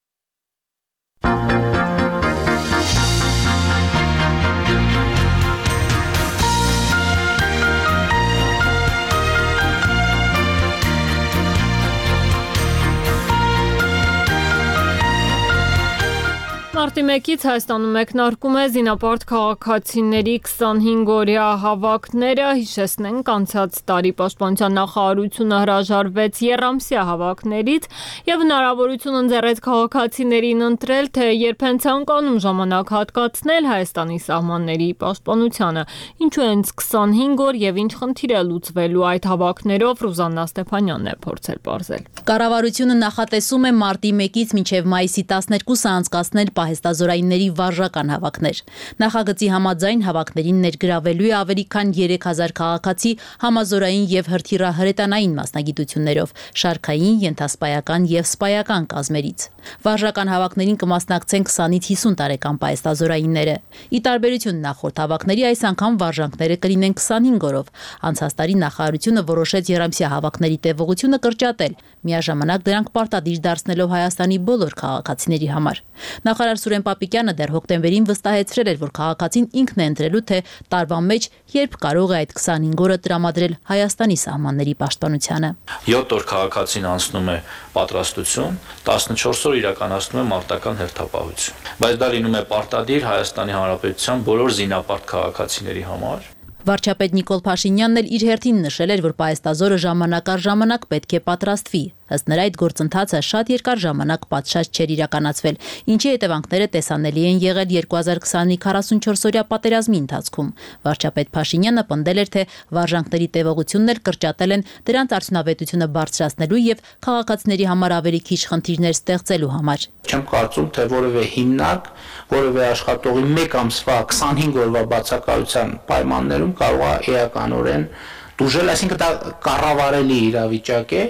Մարտի 1-ից Հայաստանում մեկնարկում է զինապարտ քաղաքացիների 25-օրյա հավաքները, հիշեցնենք անցած տարի Պաշտպանության նախարարությունը հրաժարվեց եռամսյա հավաքներից եւ հնարավորություն ընձեռեց քաղաքացիներին ընտրել, թե երբ են ցանկանում ժամանակ հատկացնել Հայաստանի սահմանների պաշտպանությանը, ինչու հենց 25 օր եւ ինչ խնդիր է լուծվելու այդ հավաքներով, Ռուզաննա Ստեփանյանն է փորձել պարզել։ Կառավարությունը նախատեսում է մարտի 1-ից մինչև մայիսի 12-ը անցկացնել պահեստազորայինների վարժական հավաքներ։ Նախագծի համաձայն հավաքներին ներգրավելու է ավելի քան 3000 քաղաքացի համազորային եւ հրթիռահրետանային մասնագիտություններով, շարքային, ենթասպայական եւ սպայական կազմերից։ Վարժական հավաքներին կմասնակցեն 20-ից 50 տարեկան պահեստազորայինները։ Ի տարբերություն նախորդ հավաքների, այս անգամ վարժանքները կլինեն 25 օրով։ Անցած տարի նախարարությունը որոշեց եռամսյա հավաքների տևողությունը կրճատել, միաժամանակ դրանք պարտադիր դարձնելով Հայաստանի բոլոր քաղաքացիների համար։ Նախարար Սուրեն Պապիկյանը դեռ հոկտեմբերին վստահեցրել էր, որ քաղաքացին ինքն է ընտրելու, թե տարվա մեջ երբ կարող է այդ 25 օրը տրամադրել Հայաստանի սահմանների պաշտպանությանը։ 7 օր քաղաքացին անցնում է պատրաստություն, 14 օր իրականացնում է մարտական հերթապահություն։ Բայց դա լինում է պարտադիր Հայաստանի Հանրապետության բոլոր զինապարտ քաղաքացիների համար։ Վարչապետ Նիկոլ Փաշինյանն էլ իր հերթին նշել էր, որ պահեստազորը ժամանակ առ ժամանակ պետք է պատրաստվի։ Ըստ նրա այդ գործընթացը շատ երկար ժամանակ պատշաճ չէր իրականացվել, ինչի հետևանքները տեսանելի են եղել 2020-ի 44-օրյա պատերազմի ընթացքում։ Վարչապետ Փաշինյանը պնդել էր, թե վարժանքների տևողությունն էլ կրճատել են դրանց արդյունավետությունը բարձրացնելու եւ քաղաքացիների համար ավելի քիչ խնդիրներ ստեղծելու համար։ Չեմ կարծում, թե որևէ հիմնարկ, որևէ աշխատողի 1 ամսվա 25 օրվա բացակայության պայմաններում կարող է էականորեն դուժել, այսինքն դա կառավարելի իրավիճակ է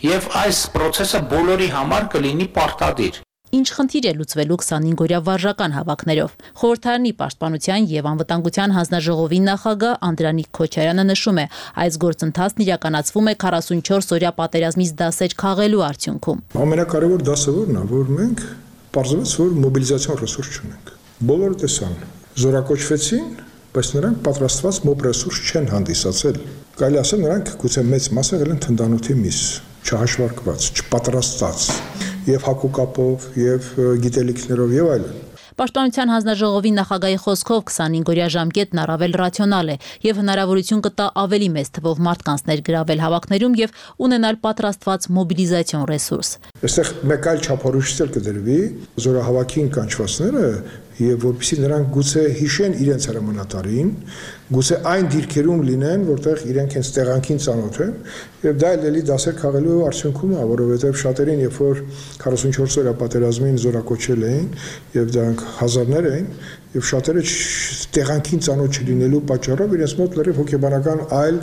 եւ այս process-ը բոլորի համար կլինի պարտադիր։ Ինչ խնդիր է լուծվելու 25-օրյա վարժական հավաքներով։ Խորհրդարանի պաշտպանության եւ անվտանգության հանձնաժողովի նախագահ Անդրանիկ Քոչարյանը նշում է, այս գործընթացն իրականացվում է 44-օրյա պատերազմից դասեր քաղելու արդյունքում։ Ամենակարևոր դասը որն է, որ մենք պարզվեց, որ մոբիլիզացիոն ռեսուրս չունենք։ Բոլորը տեսան, զորակոչվեցին, բայց նրանք պատրաստված մոբ ռեսուրս չեն հանդիսացել։ Կարելի ասել նրանք գուցե մեծ մասը եղել են թնդանոթի միս, չհաշվարկված, չպատրաստած, եւ հակուկապով, եւ գիտելիքներով եւ այլն։ Պաշտպանության հանձնաժողովի նախագահի խոսքով 25-օրյա ժամկետն առավել ռացիոնալ է եւ հնարավորություն կտա ավելի մեծ թվով մարդկանց ներգրավել հավաքներում եւ ունենալ պատրաստված մոբիլիզացիոն ռեսուրս։ Այստեղ մեկ այլ չափորոշիչ կդրվի զորահավաքին կանչվածները եւ որպեսզի նրանք գուցե հիշեն իրենց հրամանատարին, գուցե այն դիրքերում լինեն, որտեղ իրենք հենց տեղանքին ծանոթ են, եւ դա էլ էլի դասեր քաղելու արդյունքում է, որովհետեւ շատերին, երբ որ 44 օրյա պատերազմին զորակոչել էին եւ դրանք հազարներ էին, եւ շատերը տեղանքին ծանոթ չլինելու պատճառով իրենց մոտ լրիվ հոգեբանական այլ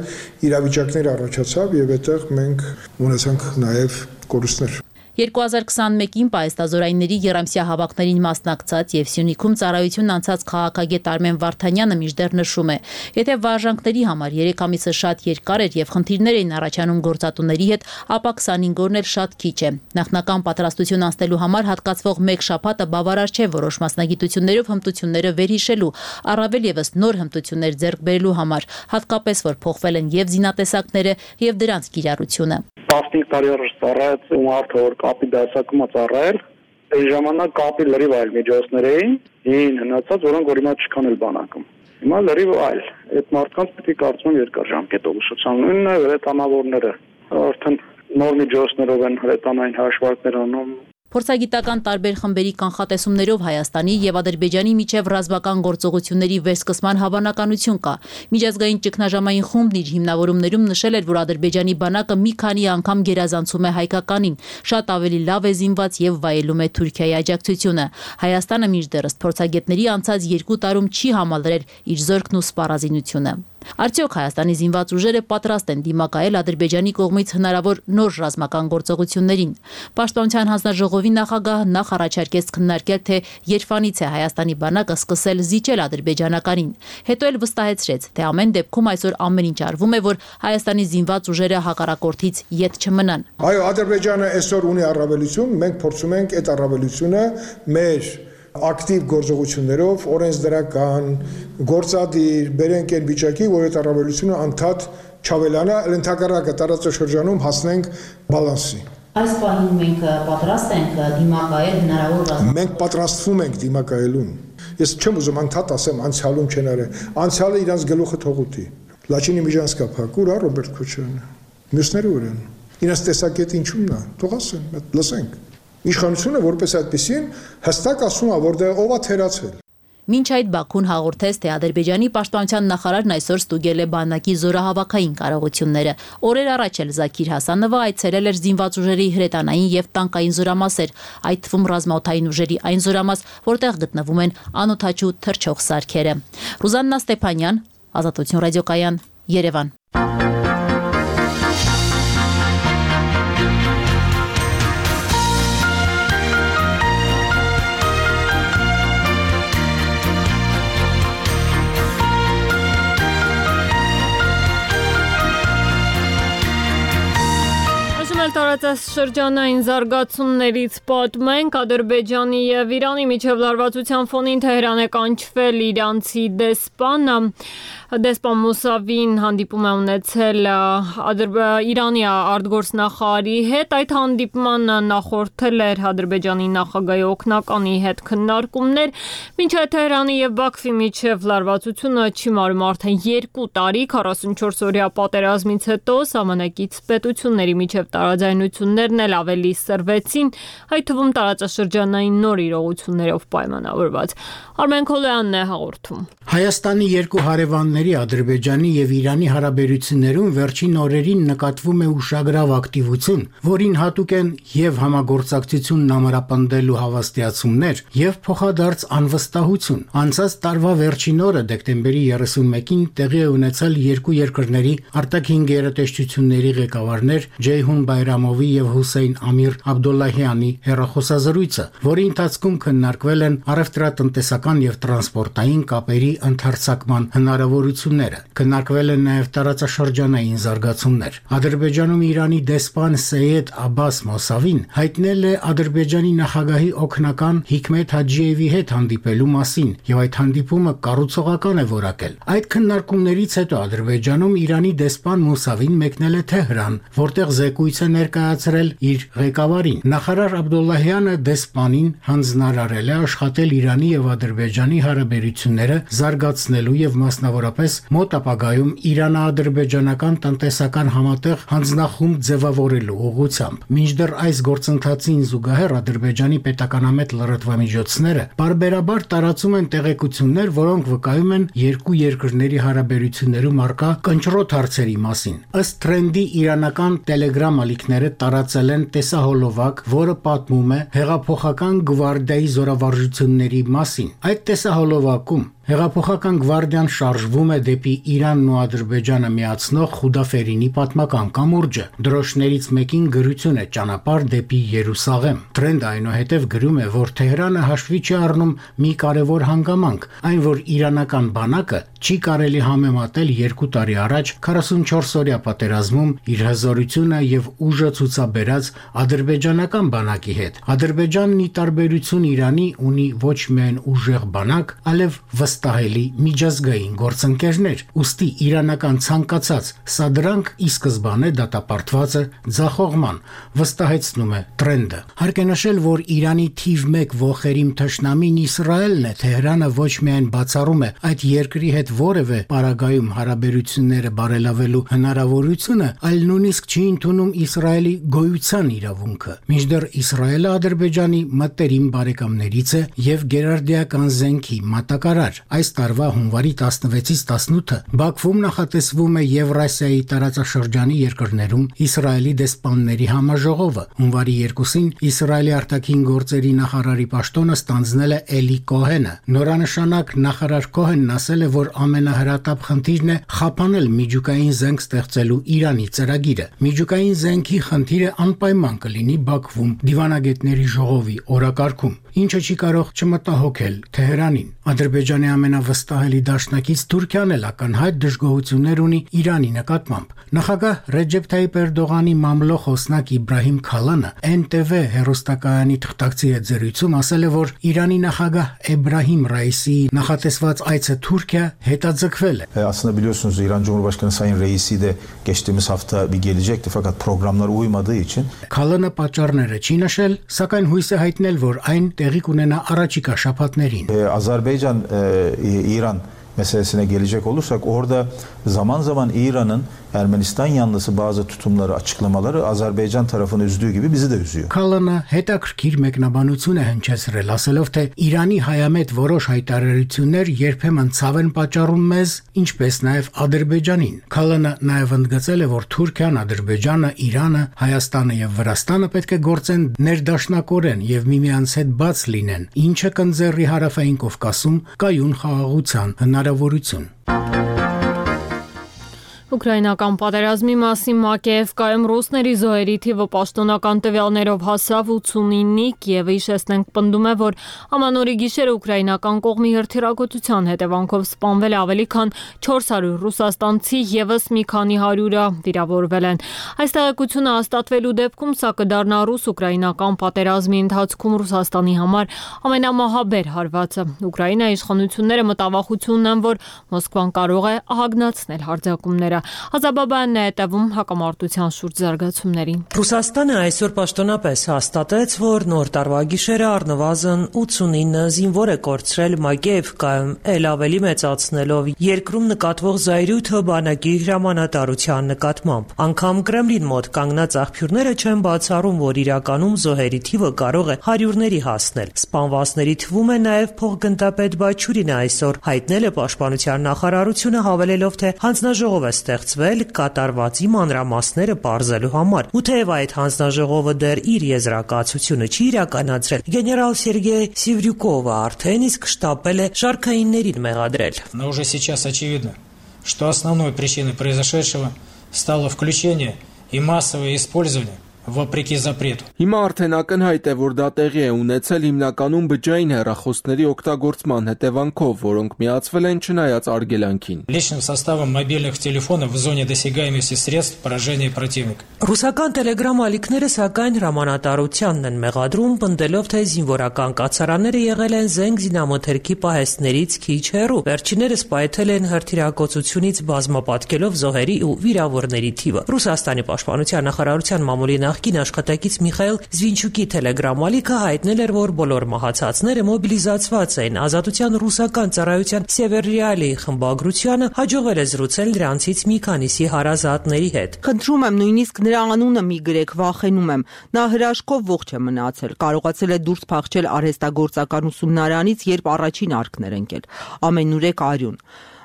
իրավիճակներ առաջացավ եւ այդտեղ մենք ունեցանք նաեւ կորուստներ։ 2021-ին պահեստազորայինների երամսյա հավաքներին մասնակցած եւ Սյունիքում ծառայություն անցած քաղաքագետ Արմեն Վարդանյանը մինչդեռ նշում է. եթե վարժանքների համար 3 ամիսը շատ երկար էր եւ խնդիրներ էին առաջանում գործատուների հետ, ապա 25 օրն էլ շատ քիչ է։ Նախնական պատրաստություն անցնելու համար հատկացվող 1 շաբաթը բավարար չէ որոշ մասնագիտություններով հմտությունները վերհիշելու, առավել եւս նոր հմտություններ ձեռք բերելու համար, հատկապես որ փոխվել են եւ զինատեսակները եւ դրանց կիրառությունը։ 15 տարի առաջ ծառայած ու մարդը որ կապի դասակում ծառայել, այն ժամանակ կապի լրիվ այլ միջոցներ էին, ին հնացած, որոնք որ հիմա չկան էլ բանակում։ Հիմա լրիվ այլ։ Այդ մարդկանց պետք է կարծում երկար ժամկետով ուսուցան, նույնն է հրետանավորները, արդեն նոր միջոցներով են հրետանային հաշվարկներ անում։ Փորձագիտական տարբեր խմբերի կանխատեսումներով Հայաստանի եւ Ադրբեջանի միջև ռազմական գործողությունների վերսկսման հավանականություն կա։ Միջազգային ճգնաժամային խումբն իր հիմնավորումներում նշել էր, որ Ադրբեջանի բանակը մի քանի անգամ գերազանցում է հայկականին, շատ ավելի լավ է զինված եւ վայելում է Թուրքիայի աջակցությունը։ Հայաստանը մինչդեռս փորձագետների անցած 2 տարում չի համալրել իր զորքն ու սպառազինությունը։ Արդյոք Հայաստանի զինված ուժերը պատրաստ են դիմակայել Ադրբեջանի կողմից հնարավոր նոր ռազմական գործողություններին։ Պաշտպանության հանձնաժողովի նախագահը նախ առաջարկեց քննարկել, թե երբանից է Հայաստանի բանակը սկսել զիջել ադրբեջանականին։ Հետո էլ վստահեցրեց, թե ամեն դեպքում այսօր ամեն ինչ արվում է, որ Հայաստանի զինված ուժերը հակառակորդից ետ չմնան։ Այո, Ադրբեջանը այսօր ունի առավելություն, մենք փորձում ենք այդ առավելությունը մեր ակտիվ գործողություններով օրենսդրական, գործադիր, բերենք այն վիճակի, որ այդ առավելությունը անդադ չավելանա, ընդհակառակը տարածաշրջանում հասնենք բալանսի։ Այս պահին մենք պատրաստ ենք դիմակայել հնարավոր ռազմական։ Մենք պատրաստվում ենք դիմակայելուն։ Ես չեմ ուզում անդադ ասեմ անցյալում չեն արել։ Անցյալը իրանց գլուխը թողուտի։ Լաչինի Միջանցկա փակուր, Ռոբերտ Քոչարյանը։ Մյուսները ուրեն։ Իրանց տեսակետը ինչու՞մն է։ Թող ասեն, լսենք։ Իշխանությունը որպես այդպեսին հստակ ասում է, որտեղ ով է թերացել։ Մինչ այդ Բաքուն հաղորդեց, թե Ադրբեջանի պաշտպանության նախարարն այսօր ստուգել է բանակի զորահավաքային կարողությունները։ Օրեր առաջ էլ Զաքիր Հասանովը այցելել էր զինված ուժերի հրետանային եւ տանկային զորամասեր, այդ թվում ռազմաօդային ուժերի այն զորամաս, որտեղ գտնվում են անօդաչու թռչող սարքերը։ Ռուզաննա Ստեփանյան, Ազատություն ռադիոկայան, Երևան։ Տարածաշրջանային զարգացումներից պատմենք Ադրբեջանի եւ Իրանի միջև լարվածության ֆոնին Թեհրան է կանչվել իրանցի դեսպան Մուսավին հանդիպում է ունեցել Իրանի արտգործնախարարի հետ, այդ հանդիպմանը նախորդել էր Ադրբեջանի նախագահի օգնականի հետ քննարկումներ, մինչև Թեհրանի եւ Բաքվի միջև լարվածությունը չիմարում արդեն 2 տարի 44-օրյա պատերազմից հետո սահմանակից պետությունների միջև տարաձայնություններն էլ ավելի սրվեցին, այդ թվում տարածաշրջանային նոր իրողություններով պայմանավորված։ Արմեն Քոլյանն է հաղորդում։ Հայաստանի երկու հարևանների Ադրբեջանի եւ Իրանի հարաբերություններում վերջին օրերին նկատվում է ուշագրավ ակտիվություն, որին հատուկ են եւ համագործակցությունն ամրապնդելու հավաստիացումներ եւ փոխադարձ անվստահություն։ Անցած տարվա վերջին օրը դեկտեմբերի 31-ին տեղի է ունեցել երկու երկրների արտաքին գերատեսչությունների ղեկավարներ Ջեյհուն Բայրամովի եւ Հուսեյն Ամիր Աբդոլլահյանի հեռախոսազրույցը, որի ընթացքում քննարկվել են առևտրատնտեսական եւ տրանսպորտային կապերի ընդարձակման հնարավորությունները։ Քննարկվել են նաեւ տարածաշրջանային զարգացումներ։ Ադրբեջանում Իրանի դեսպան Սեյեդ Աբբաս Մոսավին հայտնել է Ադրբեջանի նախագահի օգնական Հիկմետ Հաջիևի հետ հանդիպելու մասին եւ այդ հանդիպումը կառուցողական է որակել։ Այդ քննարկումներից հետո Ադրբեջանում Իրանի դեսպան Մուսավին մեկնել է Թեհրան, որտեղ զեկույց է ներկայացրել իր ղեկավարին։ Նախարար Աբդոլլահյանը դեսպանին հանձնարարել է աշխատել Իրանի եւ Ադրբեջանի հարաբերությունները զարգացնելու եւ մասնավորապես մոտ ապագայում Իրано-ադրբեջանական տնտեսական համատեղ հանձնախումբ ձևավորելու ուղղությամբ։ Մինչդեռ այս գործընթացին զուգահեռ Ադրբեջանի պետականամետ լրատվամիջոցները բարբերաբար տարածում են տեղեկություններ, որոնք վկայում են երկու երկրների հարաբերություններում առկա կնճռոտ հարցերի մասին։ Ըստ թրենդի իրանական Telegram ալիքները տարածել են տեսահոլովակ, որը պատմում է հեղափոխական գվարդիայի զորավարժությունների մասին։ Այդ տեսահոլովակում Հեղափոխական գվարդիան շարժվում է դեպի Իրանն ու Ադրբեջանը միացնող Խուդաֆերինի պատմական կամուրջը։ Դրոշներից մեկին գրություն է ճանապարհ դեպի Երուսաղեմ։ Տրենդը այնուհետև գրում է, որ Թեհրանը հաշվի չի առնում մի կարևոր հանգամանք, այն որ իրանական բանակը չի կարելի համեմատել 2 տարի առաջ 44-օրյա պատերազմում իր հզորությունը եւ ուժը ցուցաբերած ադրբեջանական բանակի հետ։ Ադրբեջանն ի տարբերություն Իրանի ունի ոչ միայն ուժեղ բանակ, այլև վստահելի միջազգային գործընկերներ, ուստի իրանական ցանկացած սադրանք ի սկզբանե դատապարտված է ձախողման, վստահեցնում է Տրենդը։ Հարկ է նշել, որ Իրանի թիվ 1 ողերիմ թշնամին Իսրայելն է, Թեհրանը ոչ միայն բացառում է այդ երկրի հետ որևէ պարագայում հարաբերությունները բարելավելու հնարավորությունը, այլ նույնիսկ չի ընդունում Իսրայելի գոյության իրավունքը։ Մինչդեռ Իսրայելը Ադրբեջանի մտերիմ բարեկամներից է եւ գերարդիական զենքի մատակարար։ Այս տարվա հունվարի 16-ից 18-ը Բաքվում նախատեսվում է Եվրասիայի տարածաշրջանի երկրներում Իսրայելի դեսպանների համաժողովը։ Հունվարի 2-ին Իսրայելի արտաքին գործերի նախարարի պաշտոնը ստանձնել է Էլի Կոհենը։ Նորանշանակ նախարար Կոհենն ասել է, որ ամենահրատապ խնդիրն է խափանել միջուկային զենք ստեղծելու Իրանի ծրագիրը։ Միջուկային զենքի խնդիրը անպայման կլինի Բաքվում դիվանագետների ժողովի օրակարգում, ինչը չի կարող չմտահոգել Թեհրանին։ Ադրբեջանի ամենավստահելի դաշնակից Թուրքիան էլ ակնհայտ դժգոհություններ ունի Իրանի նկատմամբ։ Նախագահ Ռեջեփ Թայիպ Էրդողանի մամլո խոսնակ Իբրահիմ Քալանը NTV հեռուստակայանի թղթակցի հետ զրույցում ասել է, որ Իրանի նախագահ Էբրահիմ Ռայիսիի նախատեսված այցը Թուրքիա հետաձգվել է։ Aslında biliyorsunuz İran Cumhurbaşkanı Sayın Reisi de geçtiğimiz hafta bir gelecekti fakat programlar uymadığı için. Քալանը պատճառները չի նշել, սակայն հույս է հայտնել, որ այն տեղի կունենա առաջիկա շաբաթներին։ Azerbaycan İran meselesine gelecek olursak orada zaman zaman İran'ın Ermenistan yanlısı bazı tutumları, açıklamaları Azerbaycan tarafını üzdüğü gibi bizi de üzüyor. Քալանը հետաքրքիր մեկնաբանություն է հնչեցրել, ասելով, թե Իրանի հայամետ որոշ հայտարարություններ երբեմն ցավ են պատճառում մեզ, ինչպես նաև Ադրբեջանին։ Քալանը նաև ընդգծել է, որ Թուրքիան, Ադրբեջանը, Իրանը, Հայաստանը եւ Վրաստանը պետք է գործեն ներդաշնակորեն եւ միմյանց հետ բաց լինեն, ինչը կընձեռի Հարավային Կովկասում կայուն խաղաղության հնարավորություն։ Ուկրաինական պատերազմի մասին ՄԱԿԵՖ-ում ռուսների զոհերի թիվը պաշտոնական տվյալներով հասավ 89-ի, Կիևը հիշեցնենք պնդում է, որ ամանորի գիշերը ուկրաինական կողմի հրթիռակոծության հետևանքով սպանվել ավելի քան 400 ռուսաստանցի, եւս մի քանի հարյուրը վիրավորվել են։ Այս տեղեկությունը հաստատվելու դեպքում սա կդառնա ռուս-ուկրաինական պատերազմի ընթացքում Ռուսաստանի համար ամենամահաբեր հարվածը։ Ուկրաինայի իշխանությունները մտավախություն ունեն, որ Մոսկվան կարող է ահագնացնել հարձակումները։ Ազաբաբանն է հետևում հակամարտության շուրջ զարգացումներին։ Ռուսաստանը այսօր պաշտոնապես հաստատեց, որ նոր տարվա գիշերը առնվազն 89 զինվոր է կորցրել ՄԱԿԵՖ-ում, ել ավելի մեծացնելով երկրում նկատվող զայրույթը բանակի հրամանատարության նկատմամբ։ Անգամ Կրեմլին մոտ կանգնած աղբյուրները չեն բացառում, որ իրականում զոհերի թիվը կարող է հարյուրների հասնել։ Սպանվածների թվում է նաև փոխգնդապետ Բաչուրինը այսօր հայտնել է պաշտպանության նախարարությունը, հավելելով, թե հանձնաժողով է ստեղծվել կատարվածի մանրամասները պարզելու համար։ Ու թեև այդ հանձնաժողովը դեռ իր եզրակացությունը չի իրականացրել, գեներալ Սերգեյ Սիվրյուկովը արդեն իսկ շտապել է շարքայիններին մեղադրել։ Но уже сейчас очевидно, что основной причиной произошедшего стало включение и массовое использование Վոպրիկի запрету։ Հիմա արդեն ակնհայտ է, որ դա տեղի է ունեցել հիմնականում բջջային հեռախոսների օգտագործման հետևանքով, որոնք միացվել են չնայած արգելանքին։ Личным составом мобильных телефонов в зоне досягаемости средств поражения противника։ Ռուսական Telegram ալիքները սակայն հրամանատարությանն են մեղադրում, պնդելով, թե զինվորական կացարանները եղել են զենք զինամթերքի պահեստներից քիչ հեռու։ Վերջիններս պայթել են հրթիռակոծությունից բազմապատկելով զոհերի ու վիրավորների թիվը։ Ռուսաստանի պաշտպանության նախարարության մամուլի նախկին աշխատակից Միխայել Զվինչուկի Telegram ալիքը հայտնել էր, որ բոլոր մահացածները մոբիլիզացված են։ Ազատության ռուսական ծառայության Սևերիալի խմբագրությանը հաջողվել է զրուցել նրանցից մի քանիսի հարազատների հետ։ Խնդրում եմ, նույնիսկ նրա անունը մի գրեք, վախենում եմ։ Նա հրաշքով ողջ է մնացել, կարողացել է դուրս փախչել արհեստագործական ուսումնարանից, երբ առաջին արկներ ընկել։ Ամենուրեք արյուն։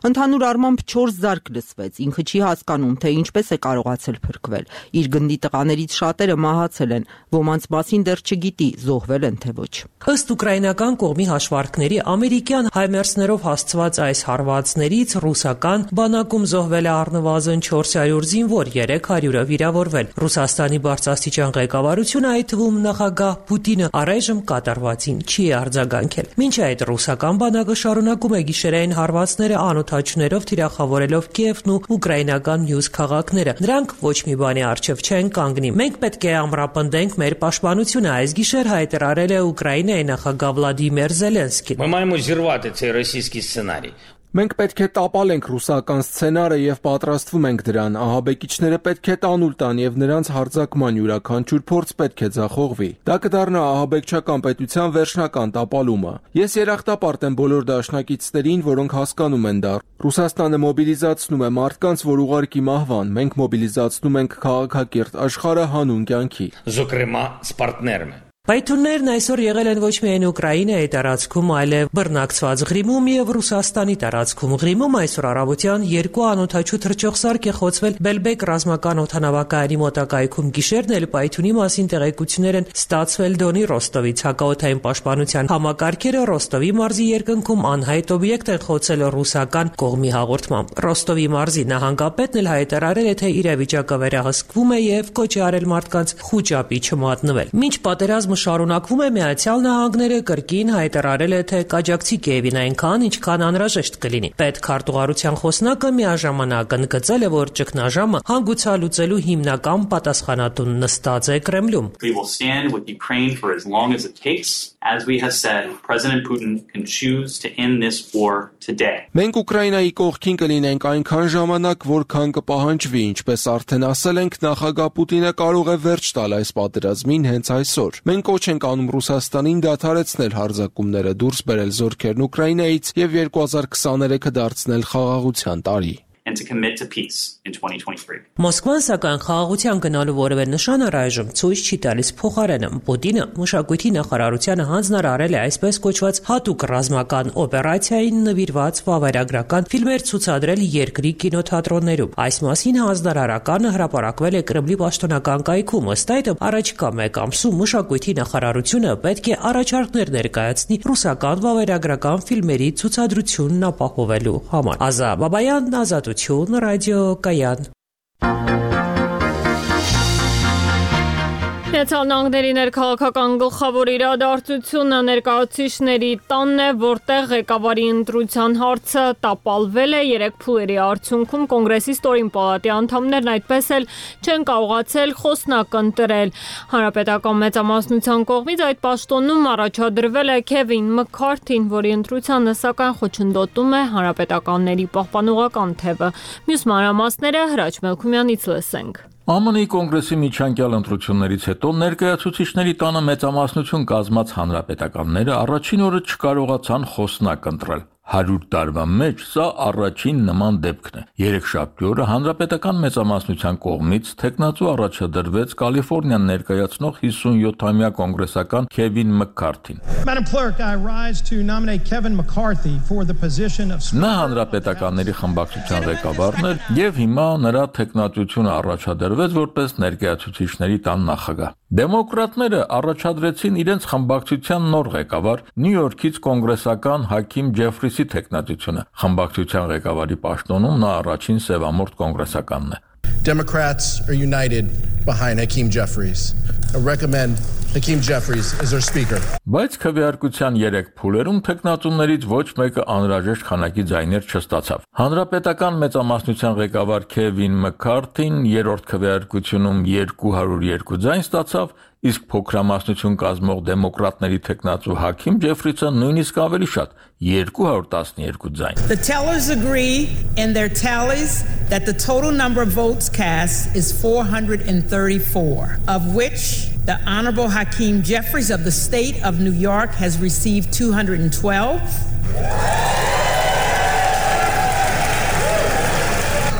Ընդհանուր առմամբ 4 զարկ լսվեց, ինքը չի հասկանում, թե ինչպես է կարողացել փրկվել։ Իր գնդի տղաներից շատերը մահացել են, ոմանց մասին դեռ չգիտի, զոհվել են թե ոչ։ Ըստ ուկրաինական կողմի հաշվարկների, ամերիկյան հայմերսներով հասցված այս հարվածներից ռուսական բանակում զոհվել է առնվազն 400 զինվոր, 300-ը վիրավորվել։ Ռուսաստանի բարձրաստիճան ղեկավարությունը, այդ թվում նախագահ Պուտինը, առայժմ կատարվածին չի արձագանքել։ Մինչ այդ ռուսական բանակը շարունակում է գիշերային հարվածները անօդաչուներով թիրախավորելով Կիևն ու ուկրաինական մյուս քաղաքները։ Նրանք ոչ մի բանի առջև չեն կանգնի։ Մենք պետք է ամրապնդենք մեր պաշտպանությունը, այս գիշեր հայտարարել է Ուկրաինայի նախագահ Վլադիմիր Զելենսկին։ Ми маємо зірвати цей російський сценарій. Մենք պետք է տապալենք ռուսական սցենարը եւ պատրաստվում ենք դրան։ Ահաբեկիչները պետք է տանուլ տան եւ նրանց հարձակման յուրաքանչյուր փորձ պետք է ձախողվի։ Դա կդառնա ահաբեկչական պետության վերջնական տապալումը։ Ես երախտապարտ եմ բոլոր դաշնակիցներին, որոնք հասկանում են դա։ Ռուսաստանը մոբիլիզացնում է մարդկանց, որ ուղարկի մահվան։ Մենք մոբիլիզացնում ենք քաղաքակիրթ աշխարհը հանուն կյանքի։ Зокрема, з партнерами. Պայթուններն այսօր եղել են ոչ միայն Ուկրաինայի տարածքում, այլև բռնակցված Ղրիմում եւ Ռուսաստանի տարածքում։ Ղրիմում այսօր առավոտյան 2 անօդաչու թռչող սարք է խոցվել Բելբեկ ռազմական օդանավակայանի մոտակայքում։ Գիշերն էլ պայթունի մասին տեղեկություններ են ստացվել Դոնի Ռոստովից։ Հակաօդային պաշտպանության համակարգերը Ռոստովի մարզի երկնքում անհայտ օբյեկտ են խոցել ռուսական կողմի հաղորդմամբ։ Ռոստովի մարզի նահանգապետն էլ հայտարարել է, թե իրավիճակը վերահսկվում է եւ կոչ է արել մարդկանց խուճապի չմատնվել։ Մինչ պատերազմը շարունակվում է, Միացյալ Նահանգները կրկին հայտարարել է, թե կաջակցի Կիևին այնքան, ինչքան անհրաժեշտ կլինի։ Պետքարտուղարության խոսնակը միաժամանակ ընդգծել է, որ ճգնաժամը հանգուցալուծելու հիմնական պատասխանատուն նստած է Կրեմլում։ We will stand with Ukraine for as long as it takes. As we have said, President Putin can choose to end this war today. Մենք Ուկրաինայի կողքին կլինենք այնքան ժամանակ, որքան կպահանջվի, ինչպես արդեն ասել ենք, նախագահ Պուտինը կարող է վերջ տալ այս պատերազմին հենց այսօր։ Մենք կոչ ենք անում Ռուսաստանին դադարեցնել հարձակումները, դուրս բերել զորքերն Ուկրաինայից եւ 2023-ը դարձնել խաղաղության տարի։ And to commit to peace in 2023. Մոսկվան սակայն խաղաղության գնալու որևէ նշան առայժմ ցույց չի տալիս փոխարենը։ Պուտինը մշակույթի նախարարությանը հանձնարարել է այսպես կոչված հատուկ ռազմական օպերացիային նվիրված վավերագրական ֆիլմեր ցուցադրել երկրի կինոթատրոններում։ Այս մասին հանձնարարականը հրապարակվել է Կրեմլի պաշտոնական կայքում։ Ըստ այդմ, առաջիկա մեկ ամսում մշակույթի նախարարությունը պետք է առաջարկներ ներկայացնի ռուսական վավերագրական ֆիլմերի ցուցադրությունն ապահովելու համար։ Ազա Բաբայան, Ազատություն, Ռադիո Կայան։ Միացյալ Նահանգների ներքաղաքական գլխավոր իրադարձությունը ներկայացուցիչների տանն է, որտեղ ղեկավարի ընտրության հարցը տապալվել է 3 փուլերի արդյունքում կոնգրեսի ստորին պալատի անդամներն այդպես էլ չեն կարողացել խոսնակ ընտրել։ Հանրապետական մեծամասնության կողմից այդ պաշտոնում առաջադրվել է Քևին Մքարթին, որի ընտրությանը սակայն խոչընդոտում է հանրապետականների պահպանողական թևը։ Մյուս մանրամասները Հրաչ Մելքումյանից լսենք։ ԱՄՆ-ի կոնգրեսի միջանկյալ ընտրություններից հետո ներկայացուցիչների տանը մեծամասնություն կազմած հանրապետականները առաջին օրը չկարողացան խոսնակ ընտրել։ 100 տարվա մեջ սա առաջին նման դեպքն է։ Երեքշաբթի օրը հանրապետական մեծամասնության կողմից թեկնածու առաջադրվեց Կալիֆոռնիան ներկայացնող 57-ամյա կոնգրեսական Քևին Մքարթին։ Նա հանրապետականների խմբակցության ղեկավարն էր եւ հիմա նրա թեկնածությունը առաջադրվեց որպես ներկայացուցիչների տան նախագահ։ Դեմոկրատները առաջադրեցին իրենց խմբակցության նոր ղեկավար Նյու Յորքից կոնգրեսական Հաքիմ Ջեֆրիսի թեկնածությունը։ Խմբակցության ղեկավարի պաշտոնում նա առաջին սևամորթ կոնգրեսականն է։ Democrats are united behind Hakeem Jeffries. I recommend Hakeem Jeffries as our speaker. Բայց քվեարկության 3 փուլերում թեկնածուներից ոչ մեկը անհրաժեշտ քանակի ձայներ չստացավ։ Հանրապետական մեծամասնության ղեկավար Քևին Մքարթին երրորդ քվեարկությունում 202 ձայն ստացավ, իսկ փոքրամասնություն կազմող դեմոկրատների թեկնածու Հաքիմ Ջեֆրիսը նույնիսկ ավելի շատ 212 ձայն։ The tellers agree in their tallies that the total number of votes cast is 434, of which the Honorable Hakeem Jeffries of the state of New York has received 212.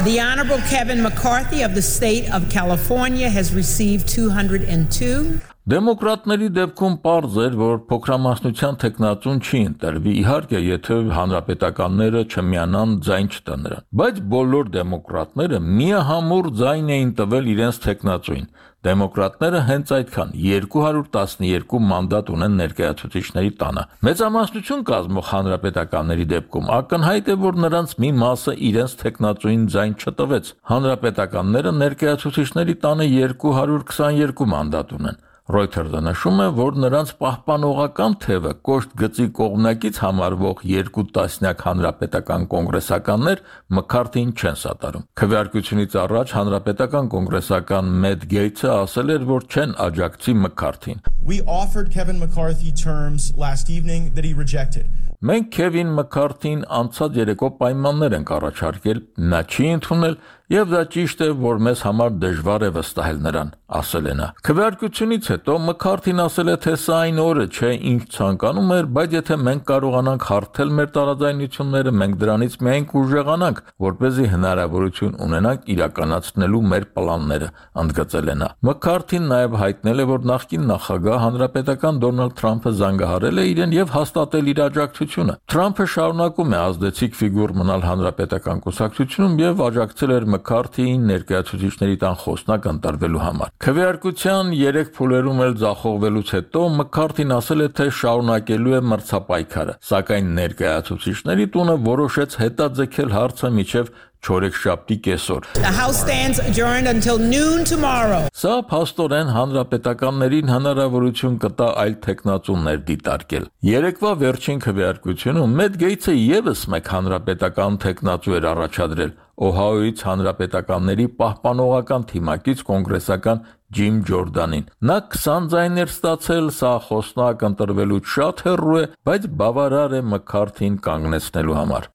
The Honorable Kevin McCarthy of the state of California has received 202. Դեմոկրատների դեպքում պարզ էր, որ փոքրամասնության տեխնացուն չի ընտրվի, իհարկե, եթե հանրապետականները չմիանան ձայն չտան նրան։ Բայց բոլոր դեմոկրատները միահամուռ ձայն էին տվել իրենց տեխնացուին։ Դեմոկրատները հենց այդքան 212 մանդատ ունեն ներկայացուցիչների տանը։ Մեծամասնություն կազմող հանրապետականների դեպքում ակնհայտ է, որ նրանց մի մասը իրենց տեխնացուին ձայն չտվեց։ Հանրապետականները ներկայացուցիչների տանը 222 մանդատ ունեն։ Reuters-ը նշում է, որ նրանց պահպանողական թևը կոշտ գծի կողմնակից համարվող 2 տասնյակ հանրապետական կոնգրեսականներ McCarthy-ին չեն սատարում։ Քվեարկությունից առաջ հանրապետական կոնգրեսական Matt Gaetz-ը ասել էր, որ չեն աջակցի McCarthy-ին։ We offered Kevin McCarthy terms last evening that he rejected. Մենք Քևին Մքարթին անցած երեկո պայմաններ ենք առաջարկել, նա չի ընդունել եւ դա ճիշտ է, որ մեզ համար դժվար է վստահել նրան, ասել է նա։ Քվեարկությունից հետո Մքարթին ասել է, թե սա այն օրը չէ, ինչ ցանկանում էր, բայց եթե մենք կարողանանք հարթել մեր տարաձայնությունները, մենք դրանից միայն կուժեղանանք, որպեսզի հնարավորություն ունենանք իրականացնելու մեր պլանները, ընդգծել է նա։ Մքարթին նաեւ հայտնել է, որ նախկին նախագահ հանրապետական Դոնալդ Թրամփը զանգահարել է իրեն եւ հաստատել իր աջակցությունը։ Թրամփը շարունակում է ազդեցիկ ֆիգուր մնալ հանրապետական կուսակցությունում եւ աջակցել էր McCarthy-ին ներկայացուցիչների տան խոսնակ ընտրվելու համար։ Քվեարկության 3 փուլերում էլ ձախողվելուց հետո McCarthy-ն ասել է, թե շարունակելու է մրցապայքարը, սակայն ներկայացուցիչների տունը որոշեց հետաձգել հարցը մինչև չորեքշաբթի կեսօր։ The House stands adjourned until noon tomorrow. Սա փաստորեն հանրապետականներին հնարավորություն կտա այլ տեխնացուներ դիտարկել։ Երեկվա վերջին քվեարկությունում Matt Gaetz-ը եւս մեկ հանրապետական տեխնացու էր առաջադրել Օհայոյից հանրապետականների պահպանողական թիմակից կոնգրեսական Ջիմ Ջորդանին։ Նա 20 ձայներ ստացել, սա խոսնակ ընտրվելուց շատ հեռու է, բայց բավարար է McCarthy-ին կանգնեցնելու համար։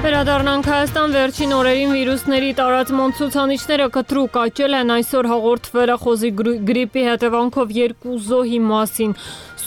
Վերադառնանք Հայաստան, վերջին օրերին վիրուսների տարածման ցուցանիշները կտրուկ աճել են, այսօր հաղորդվել է խոզի գրիպի հետևանքով 2 զոհի մասին։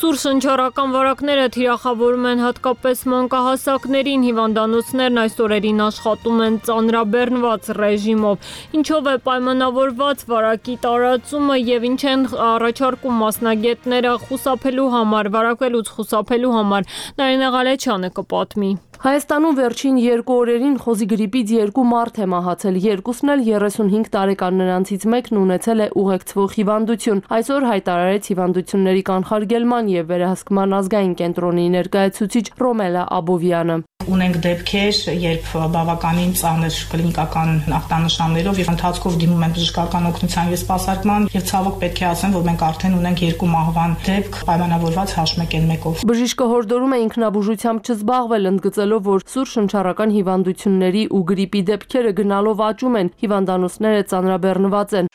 Սուր շնչառական վարակները թիրախավորում են հատկապես մանկահասակներին, հիվանդանոցներն այս օրերին աշխատում են ծանրաբեռնված ռեժիմով, ինչով է պայմանավորված վարակի տարածումը եւ ինչ են առաջարկում մասնագետները խուսափելու համար, վարակվելուց խուսափելու համար։ Նարինե Ղալեչյանը կպատմի։ Հայաստանում վերջին 2 օրերին խոզի գրիպից 2 մարդ է մահացել, երկուսն էլ 35 տարեկան նրանցից մեկն ունեցել է ուղեկցվող հիվանդություն։ Այսօր հայտարարեց հիվանդությունների կանխարգելման եւ վերահսկման ազգային կենտրոնի ներկայացուցիչ Ռոմելա Աբովյանը։ Ունենք դեպքեր, երբ բավականին ծանր կլինիկական ախտանշաններով եւ ընթացքով դիմում են բժշկական օգնության եւ սպասարկման եւ ցավոք պետք է ասեմ, որ մենք արդեն ունենք 2 մահվան դեպք պայմանավորված H1N1-ով։ Բժիշկը հորդորում է ինքնաբուժությամբ չզբաղվել, ընդգծելով, որ սուր շնչառական հիվանդությունների ու գրիպի դեպքերը գնալով աճում են, հիվանդանոցները ծանրաբեռնված են։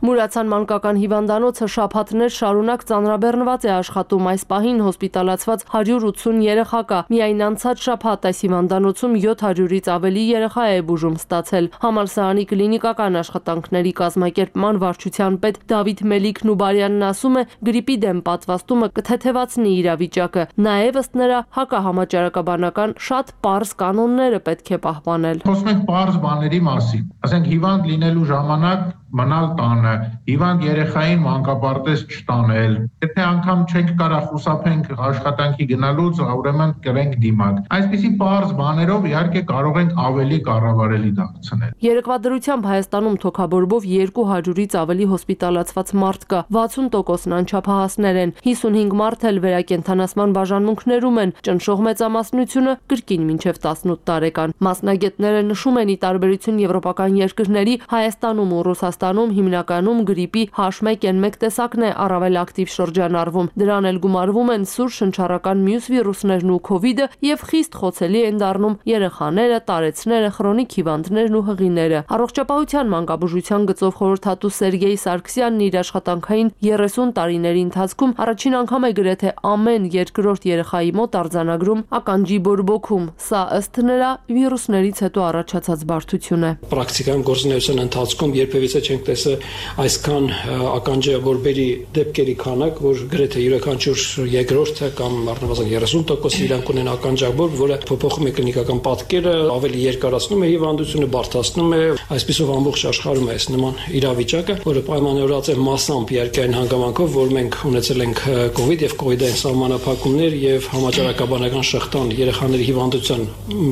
Մուրացան մանկական հիվանդանոցը շաբաթներ շարունակ ծանրաբեռնված է աշխատում, այս պահին հոսպիտալացված 180 երեխա կա։ Միայն անցած շաբաթ այս հիվանդանոցում 700-ից ավելի երեխա է բուժում ստացել։ Համալսարանի կլինիկական աշխատանքների կազմակերպման վարչության պետ Դավիթ Մելիք-Նուբարյանն ասում է, գրիպի դեմ պատվաստումը կթեթևացնի իրավիճակը։ Նաև ըստ նրա հակահամաճարակաբանական շատ պարզ կանոնները պետք է պահպանել։ Խոսում ենք պարզ բաների մասին։ Ասենք հիվանդ լինելու ժամանակ մնալ տանը, հիվանդ երեխային մանկապարտեզ չտանել։ Եթե անգամ չենք կարող խուսափենք աշխատանքի գնալուց, ուրեմն կրենք դիմակ։ Այսպիսի պարզ բաներով իհարկե կարող ենք ավելի կառավարելի դարձնել։ Երեկվա դրությամբ Հայաստանում թոքաբորբով 200-ից ավելի հոսպիտալացված մարդ կա, 60%-ն անչափահասներ են, 55 մարդ էլ վերակենդանացման բաժանմունքներում են, ճնշող մեծամասնությունը կրկին մինչև 18 տարեկան։ Մասնագետները նշում են, ի տարբերություն եվրոպական երկրների, Հայաստանում ու Ռուսաստանում հիմնականում գրիպի H1N1 տեսակն է առավել ակտիվ շրջանառվում։ Դրան էլ գումարվում են սուր շնչառական մյուս վիրուսներն ու COVID-ը եւ խիստ խոցելի են դառնում երեխաները, տարեցները, քրոնիկ հիվանդներն ու հղիները։ Առողջապահության մանկաբուժության գծով խորհրդատու Սերգեյ Սարգսյանն իր աշխատանքային 30 տարիների ընթացքում առաջին անգամ է գրեթե ամեն երկրորդ երեխայի մոտ արձանագրում ականջի բորբոքում։ Սա ըստ նրա վիրուսներից հետո առաջացած բարդություն է։ Պրակտիկայում գործունեության ընթացքում երբևիցե չենք տեսել այսքան ականջավորբերի դեպքերի քանակ, որ գրեթե յուրաքանչյուր երկրորդը կամ առնվազն 30% իրանք ունեն ականջավոր, որը փոփոխում է կլինիկական պատկերը, ավելի երկարացնում է հիվանդությունը, բարդացնում է, այսպիսով ամբողջ աշխարհում է այս նման իրավիճակը, որը պայմանավորված է massամբ երկայն հանգամանքով, որ մենք ունեցել ենք COVID եւ COVID-ային սահմանափակումներ եւ համաճարակաբանական շղթան երեխաների հիվանդության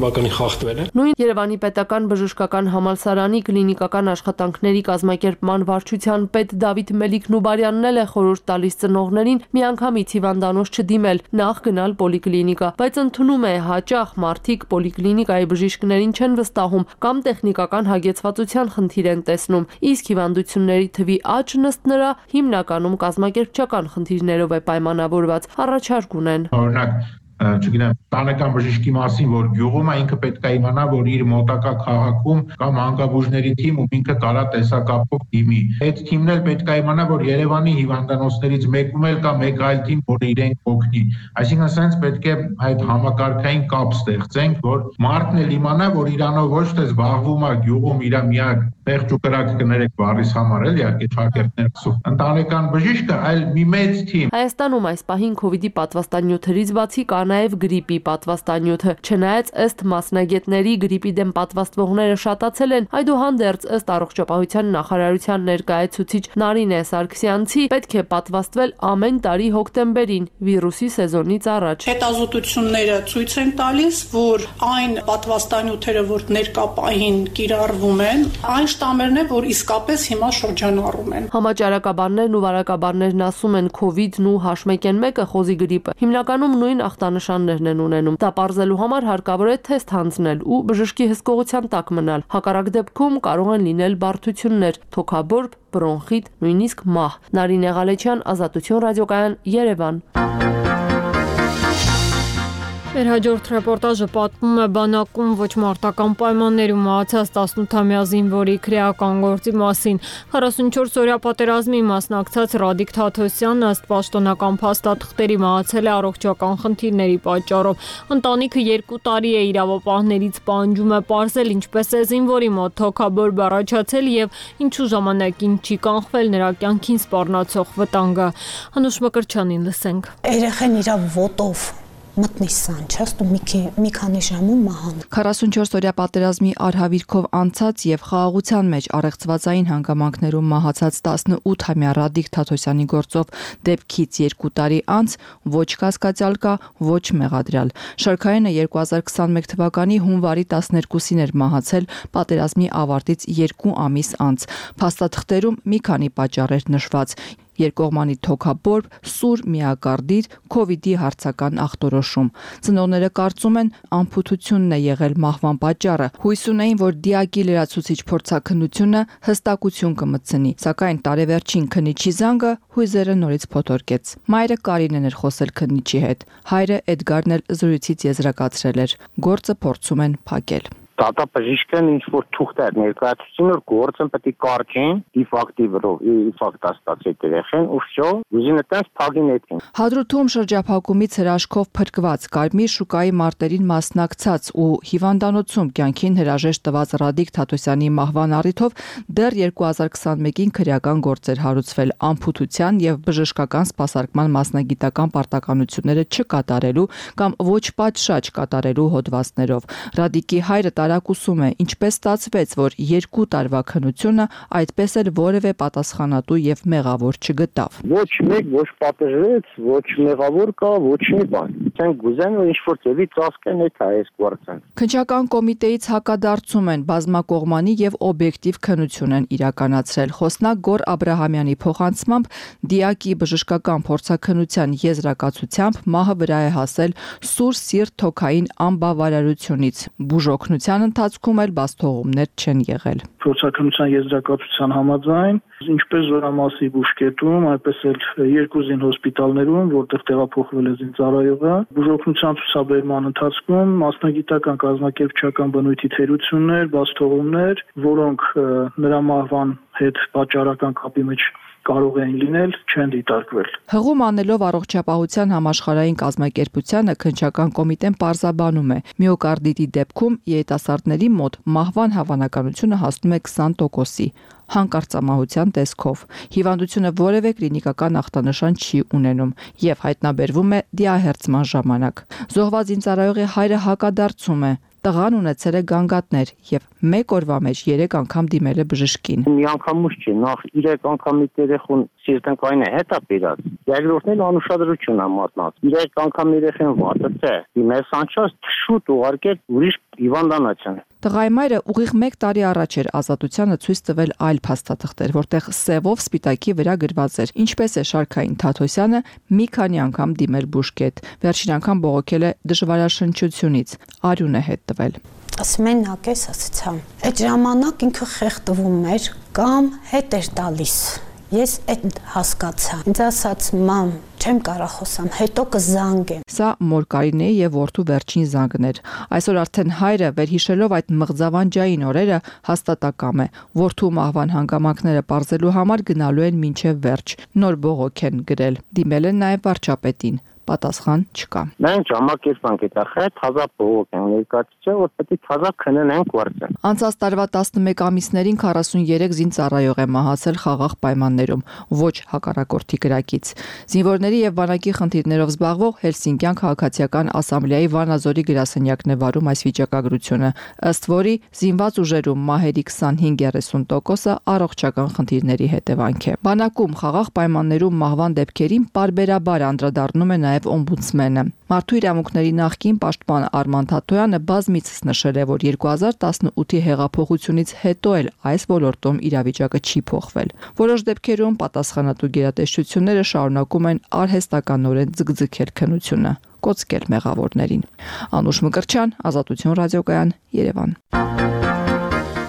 բավականին խախտվել է։ Նույն Երևանի պետական բժշկական համալսարանի կլինիկական աշխատանքների կազմակերպման վարչության պետ Դավիթ Մելիք-Նուբարյանն էլ է խորհուրդ տալիս ծնողներին միանգամից հիվանդանոց չդիմել, նախ գնալ պոլիկլինիկա, բայց ընդունում է հաճախ մարդիկ պոլիկլինիկայի բժիշկներին չեն վստահում կամ տեխնիկական հագեցվածության խնդիր են տեսնում, իսկ հիվանդությունների թվի աճն ըստ նրա հիմնականում կազմակերպչական խնդիրներով է պայմանավորված, առաջարկ ունեն։ Օրինակ չգիտեմ, տանեկան բժշկի մասին, որ գյուղում է, ինքը պետք է իմանա, որ իր մոտակա քաղաքում կամ հանգաբուժների թիմ ու ինքը կարա տեսակապով դիմի։ Այդ թիմն էլ պետք է իմանա, որ Երևանի հիվանդանոցներից մեկում էլ կա մեկ այլ թիմ, որ իրենք օգնի։ Այսինքն ասենց պետք է այդ համակարգային կապ ստեղծենք, որ մարդն էլ իմանա, որ իրանով ոչ թե զբաղվում է գյուղում իր միակ Պեղջ ու կրակ կներեք բառիս համար էլ իհարկե շակերտներ կսու։ Ընտանեկան բժիշկը այլ մի մեծ թիմ։ Հայաստանում այս պահին COVID-ի պատվաստանյութերից բացի կա նաև գրիպի պատվաստանյութը։ Չնայած ըստ մասնագետների գրիպի դեմ պատվաստվողները շատացել են, այդուհանդերձ ըստ առողջապահության նախարարության ներկայացուցիչ Նարինե Սարգսյանցի պետք է պատվաստվել ամեն տարի հոկտեմբերին վիրուսի սեզոնից առաջ։ Հետազոտությունները ցույց են տալիս, որ այն պատվաստանյութերը, որ ներկա պահին կիրառվում են, այն շտամերն է, որ իսկապես հիմա շրջանառում են։ Համաճարակաբաններն ու վարակաբաններն ասում են COVID-ն ու H1N1-ը խոզի գրիպը հիմնականում նույն ախտանշաններն են ունենում։ Դա պարզելու համար հարկավոր է թեստ հանձնել ու բժշկի հսկողության տակ մնալ։ Հակառակ դեպքում կարող են լինել բարդություններ՝ թոքաբորբ, բրոնխիտ, նույնիսկ մահ։ Նարինե Ղալեչյան, Ազատություն ռադիոկայան, Երևան։ Մեր հաջորդ ռեպորտաժը պատմում է բանակում ոչ մարտական պայմաններում մահացած 18-ամյա զինվորի քրեական գործի մասին։ 44-օրյա պատերազմի մասնակցած Ռադիկ Թաթոսյանն ըստ պաշտոնական փաստաթղթերի մահացել է առողջական խնդիրների պատճառով։ Ընտանիքը 2 տարի է իրավապահներից պահանջում է պարզել ինչպես է զինվորի մոտ թոքաբորբ առաջացել եւ ինչու ժամանակին չի կանխվել նրա կյանքին սպառնացող վտանգը։ Անուշ Մկրտչյանին լսենք։ Երեխան իր ոտով մտնի սանչաստ ու մի քանի ժամում մահան։ 44-օրյա պատերազմի արհավիրքով անցած եւ խաղաղության մեջ առեղծվածային հանգամանքներում մահացած 18-ամյա Ռադիկ Թաթոսյանի գործով դեպքից 2 տարի անց ոչ կասկածյալ կա, ոչ մեղադրյալ։ Շարքայինը 2021 թվականի հունվարի 12-ին էր մահացել պատերազմի ավարտից 2 ամիս անց։ Փաստաթղթերում մի քանի պատճառ էր նշված. երկկողմանի թոքաբորբ, սուր միակարդիտ, COVID-ի հարցական ախտորոշում։ Ծնողները կարծում են ամփոփությունն է եղել մահվան պատճառը։ Հույս ունեին, որ դիակի լրացուցիչ փորձաքննությունը հստակություն կմտցնի, սակայն տարեվերջին քննիչի զանգը հույզերը նորից փոթորկեց։ Մայրը Կարինեն էր խոսել քննիչի հետ։ Հայրը Էդգարն էլ զրույցից եզրակացրել էր. գործը փորձում են փակել։ Տատա բժիշկն ինչ որ թուղթ էր ներկայացուցին, որ գործը պետք է կարճեն իֆակտ աստած այդ երեխեն ու վсё, ուզինը տես փագին էտին։ Հադրութում շրջափակումից հրաշքով փրկված Կարմիր շուկայի մարտերին մասնակցած ու հիվանդանոցում կյանքին հրաժեշտ տված Ռադիկ Թաթոսյանի մահվան առիթով դեռ 2021-ին քրեական գործեր հարուցվել ամփոփության եւ բժշկական սպասարկման մասնագիտական պարտականությունները չկատարելու կամ ոչ պատշաճ կատարելու հոդվածներով։ Ռադիկի հայրը տարակուսում է, ինչպես ստացվեց, որ 2 տարվա քննությունը այդպես էլ որևէ պատասխանատու եւ մեղավոր չգտավ։ Ոչ մեկ ոչ պատժվեց, ոչ մեղավոր կա, ոչ մի բան։ Չեն գուզեն որ ինչ-որ ծեվի ծածկեն այդ այս գործը։ Քննչական կոմիտեից հակադարձում են բազմակողմանի եւ օբյեկտիվ քննություն են իրականացրել։ Խոսնակ Գոր Աբրահամյանի փոխանցմամբ դիակի բժշկական փորձաքննության եզրակացությամբ մահը վրա է հասել սուր սիրտ թոքային անբավարարությունից։ Բուժօգնության ընթացքում էլ բաստողումներ չեն եղել։ Փորձաքննության եզրակացության համաձայն, ինչպես Զորամասի բուժկետում, այդպես էլ 2 զին հոսպիտալներում, որտեղ տեղափոխվել է զինծառայողը, բուժօգնության ցուցաբերման ընթացքում մասնագիտական կազմակերպչական բնույթի թերություններ, բաստողումներ, որոնք նրա մահվան հետ պատճառական կապի մեջ կարող են լինել, չեն դիտարկվել։ Հղում անելով առողջապահության համաշխարհային կազմակերպությանը քննչական կոմիտեն պարզաբանում է. միոկարդիտի դեպքում երիտասարդների մոտ մահվան հավանականությունը հասնում է 20%-ի, հանկարծամահության տեսքով։ Հիվանդությունը որևէ կլինիկական ախտանշան չի ունենում եւ հայտնաբերվում է դիահերձման ժամանակ։ Զոհված զինծառայողի հայրը հակադարձում է. տղան ունեցել է գանգատներ եւ մեկ օրվա մեջ 3 անգամ դիմել է բժշկին։ Մի անգամուց չի, նախ 3 անգամ մի երեխուն սիրտանքային է հետա բերած։ Երկրորդն էլ անուշադրություն է մատնած։ 3 անգամ երեխան վատացե։ Դիմես անչափ շուտ ուղարկել ուրիշ հիվանդանոցան։ Տղայի մայրը ուղիղ 1 տարի առաջ էր ազատությանը ցույց տվել այլ փաստաթղթեր, որտեղ սևով սպիտակի վրա գրված էր. ինչպես է Շարքային Թաթոսյանը մի քանի անգամ դիմել բուժկետ, վերջին անգամ բողոքել է դժվարաշնչությունից, արյուն է հետ տվել։ Մենակ ես ասացա, այդ ժամանակ ինքը խեղդվում էր կամ հետ էր տալիս։ Ես այդ հասկացա։ Ինձ ասաց՝ մամ, չեմ կարող խոսամ, հետո կզանգեմ։ Սա մոր Կարինեի եւ որդու վերջին զանգն էր։ Այսօր արդեն հայրը վերհիշելով այդ մղձավանջային օրերը հաստատակամ է։ Որդու մահվան հանգամանքները պարզելու համար գնալու են մինչև վերջ։ Նոր բողոք են գրել։ Դիմել են նաեւ վարչապետին։ Պատասխան չկա։ Մենք ժամակերպանք այդ ახը թազա բողոք են ներկայացրել, որ պետք է թազա քննեն գործը։ Անցած տարվա 11 ամիսներին 43 զինծառայող է մահացել խաղաղ պայմաններում, ոչ հակառակորդի կրակից։ Զինվորների եւ բանակի խնդիրներով զբաղվող Հելսինկյան քաղաքացիական ասամբլեայի Վանաձորի գրասենյակն է վարում այս վիճակագրությունը, ըստ որի զինված ուժերում մահերի 25-30%-ը առողջական խնդիրների հետևանք է։ Բանակում խաղաղ պայմաններում մահվան դեպքերին պարբերաբար անդրադառնում է նաև օմբուդսմենը։ Մարդու իրավունքների նախկին պաշտպան Արման Թաթոյանը բազմիցս նշել է, որ 2018-ի հեղափոխությունից հետո էլ այս ոլորտում իրավիճակը չի փոխվել։ Որոշ դեպքերում պատասխանատու գերատեսչությունները շարունակում են արհեստականորեն ձգձգել քննությունը, կոծկել մեղավորներին։ Անուշ Մկրտչյան, Ազատություն ռադիոկայան, Երևան։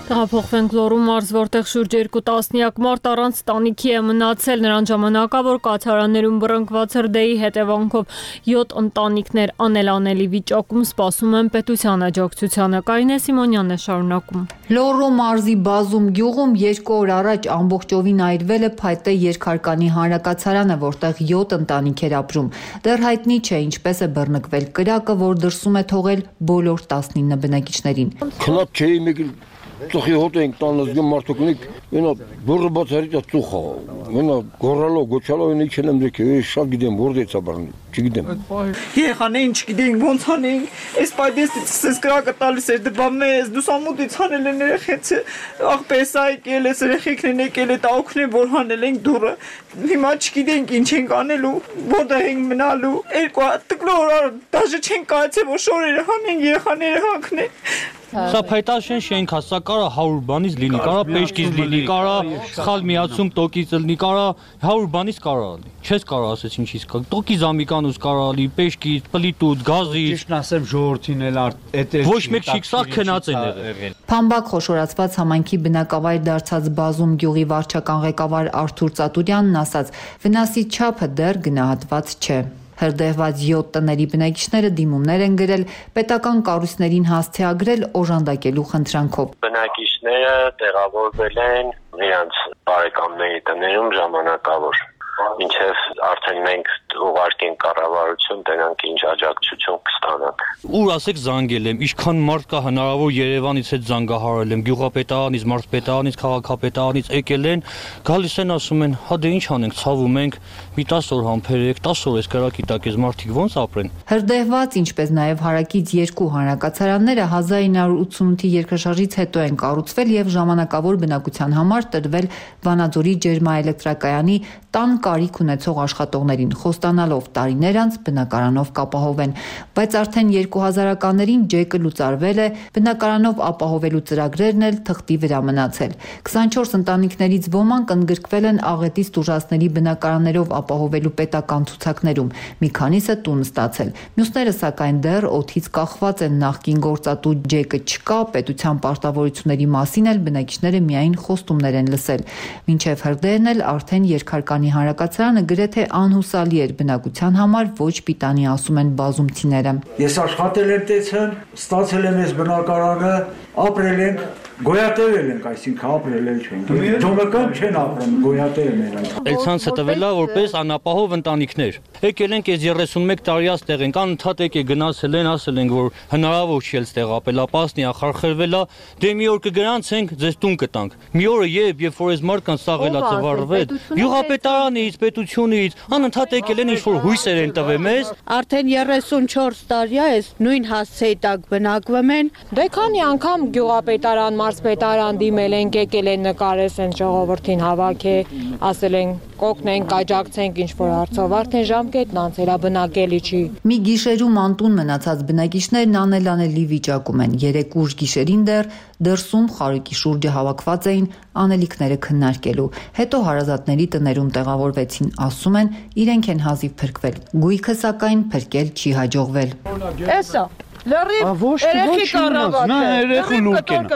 Տեղափոխվենք Լոռու մարզ, որտեղ շուրջ 2 տասնյակ մարդ առանց տանիքի է մնացել, նրան ժամանակավոր կացարաններում բռնկված հրդեհի հետևանքով 7 ընտանիքներ անելանելի վիճակում սպասում են պետության աջակցությանը։ Կարինե Սիմոնյանն է շարունակում։ Լոռու մարզի Բազում գյուղում 2 օր առաջ ամբողջովին այրվել է Փայտե երկհարկանի հանրակացարանը, որտեղ 7 ընտանիք էր ապրում։ Դեռ հայտնի չէ ինչպես է բռնկվել կրակը, որ դրսում է թողել բոլոր 19 բնակիչներին։ Քնած չէի մեկ Ծխի հոտ ենք տանած գեմ մարդուկնիկ, մենա բուրը բացարիտ է ծուխա, մենա գորալով, գոչալով են իչ եմ դեքը, շատ գիտեմ, որդեից աբարնի, չգիտեմ։ Երեխաներին չգիտենք, ոնց անենք, այս պայդեստից սես կրակը տալիս էր, դպա մեզ, դուսամուտից հանել են երեխեցը, աղպես այկել ես, երեխեքն են եկել է, տաուքն են, որ հանել ենք դուրը, հիմա չգիտենք ինչ ենք անելու, որտեղ ենք մնալու, երկու տկլոր դաժե չենք կայացել, որ շորերը հանենք, երեխաները հանքնեն։ Սա փայտաշեն շենք է, սա կարա 100 բանից լինի, կարա պեշկից լինի, կարա սխալ միացում տոկից լինի, կարա 100 բանից կարա լինի։ Չես կարա ասես ինչից կա։ Տոկի զամիկանուց կարա լինի, պեշկից, պլիտուց, գազից։ Ճիշտն ասեմ ժողովրդին էլ էտեր։ Ոչ մեկ չի սա քնած են եղել։ Փամբակ խոշորացված համայնքի բնակավայր դարձած Բազում գյուղի վարչական ղեկավար Արթուր Ծատուրյանն ասաց. վնասի չափը դեռ գնահատված չէ։ Հրդեհված 7 տների բնակիչները դիմումներ են գրել պետական կառույցներին հասցեագրել օժանդակելու խնդրանքով։ Բնակիչները տեղավորվել են իրենց բարեկամների տներում ժամանակավոր։ Մինչև արդեն մենք ուղարկենք կառավարություն, դրանք ինչ աջակցություն կստանանք։ Ուր ասեք զանգել եմ, ինչքան մարդ կա հնարավոր Երևանից հետ զանգահարել եմ, գյուղապետարանից, մարզպետարանից, քաղաքապետարանից եկել են, գալիս են ասում են, հա դե ինչ անենք, ցավում ենք, մի 10 օր համբերեք, 10 օր էս կրակի տակ էս մարդիկ ոնց ապրեն։ Հրդեհված, ինչպես նաև հարակից 2 հանրակացարանները 1988-ի երկրաշարժից հետո են կառուցվել եւ ժամանակավոր բնակության համար տրվել Վանաձորի ջերմաէլեկտրակայանի տան կարիք ունեցող աշխատողներին, խոստանալով տարիներ անց բնակարանով կապահովեն, բայց արդեն 2000-ականներին ջեկը լուծարվել է, բնակարանով ապահովելու ծրագրերն էլ թղթի վրա մնացել։ 24 ընտանիքներից ոմանք ընդգրկվել են աղետից տուժածների բնակարաններով ապահովելու պետական ցուցակներում, մի քանիսը տուն ստացել։ Մյուսները սակայն դեռ օդից կախված են, նախկին գործատու ջեկը չկա, պետության պարտավորությունների մասին էլ բնակիչները միայն խոստումներ են լսել։ Մինչև հրդեհն էլ արդեն երկհարկանի հանրակացարանը գրեթե անհուսալի էր բնակության համար, ոչ պիտանի ասում են բազումցիները։ Ես աշխատել եմ տեցեմ, ստացել եմ այս բնակարանը, ապրել ենք, գոյատևել ենք, այսինքն ապրել չենք։ Դոմական չեն ապրում, գոյատևել են։ Էլցանցը տվելա որպես անապահով ընտանիքներ։ Եկել ենք այս 31 տարի աստեղ ենք, անընդհատ եկե գնացել են, ասել են որ հնարավոր չի էլ տեղապել, ապասնի ախարխրվել է, դե մի օր կգրանցենք, ձեզ տուն կտանք։ Մի օրը երբ որ այս մարդկանց սաղելա ծվարվեց, գյուղապետարանից, պետությունից, անընդհատ եկել են ինչ-որ հույսեր են տվել մեզ։ Արդեն 34 տարի է այս նույն հասցեի տակ բնակվում են։ Դե քանի անգամ գյուղապետարան, մարզպետարան դիմել են, եկել են նկարեցեն ժողովրդին հավաք է, ասել են կօգնենք, աջակցենք ինչ-որ հարցով, արդեն ժամկետն անցել է, բնակելի չի։ Մի գիշերում անտուն մնացած բնակիչներն անելանելի վիճակում են։ 3 ուշ գիշերին դրսում խարույկի շուրջը հավաքված էին անելիքները քննարկելու։ Հետո հարազատների տներում տեղավորվեցին, ասում են, իրենք են հազիվ փրկվել։ Գույքը սակայն փրկել չի հաջողվել։ Էսա Լրիվ երեխի կառավարը։ Նա երեխու լուկեն։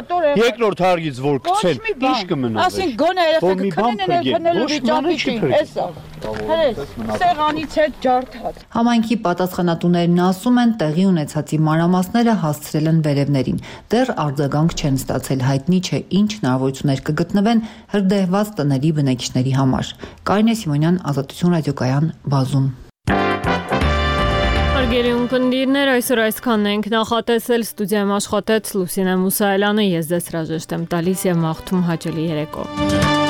Երկրորդ հարգից որ գցեն, ինչ կմնա։ Ասին գոնե երեխեքը քնելու վիճակի չի, էսա։ Հենց սեղանից հետ ջարդած։ Համայնքի պատասխանատուներն ասում են, տեղի ունեցածի մանրամասները հասցրել են վերևներին։ Դեռ արձագանք չեն ստացել, հայտնի չէ ինչ հնարավորություններ կգտնվեն հրդեհված տների բնակիչների համար։ Կարինե Սիմոնյան, Ազատություն ռադիոկայան, Բազում։ Հարգելի ունկնդիրներ, այսօր այսքանն ենք նախատեսել, ստուդիայում աշխատեց Լուսինե Մուսայելյանը, ես ձեզ հրաժեշտ եմ տալիս եւ մաղթում հաճելի երեկո։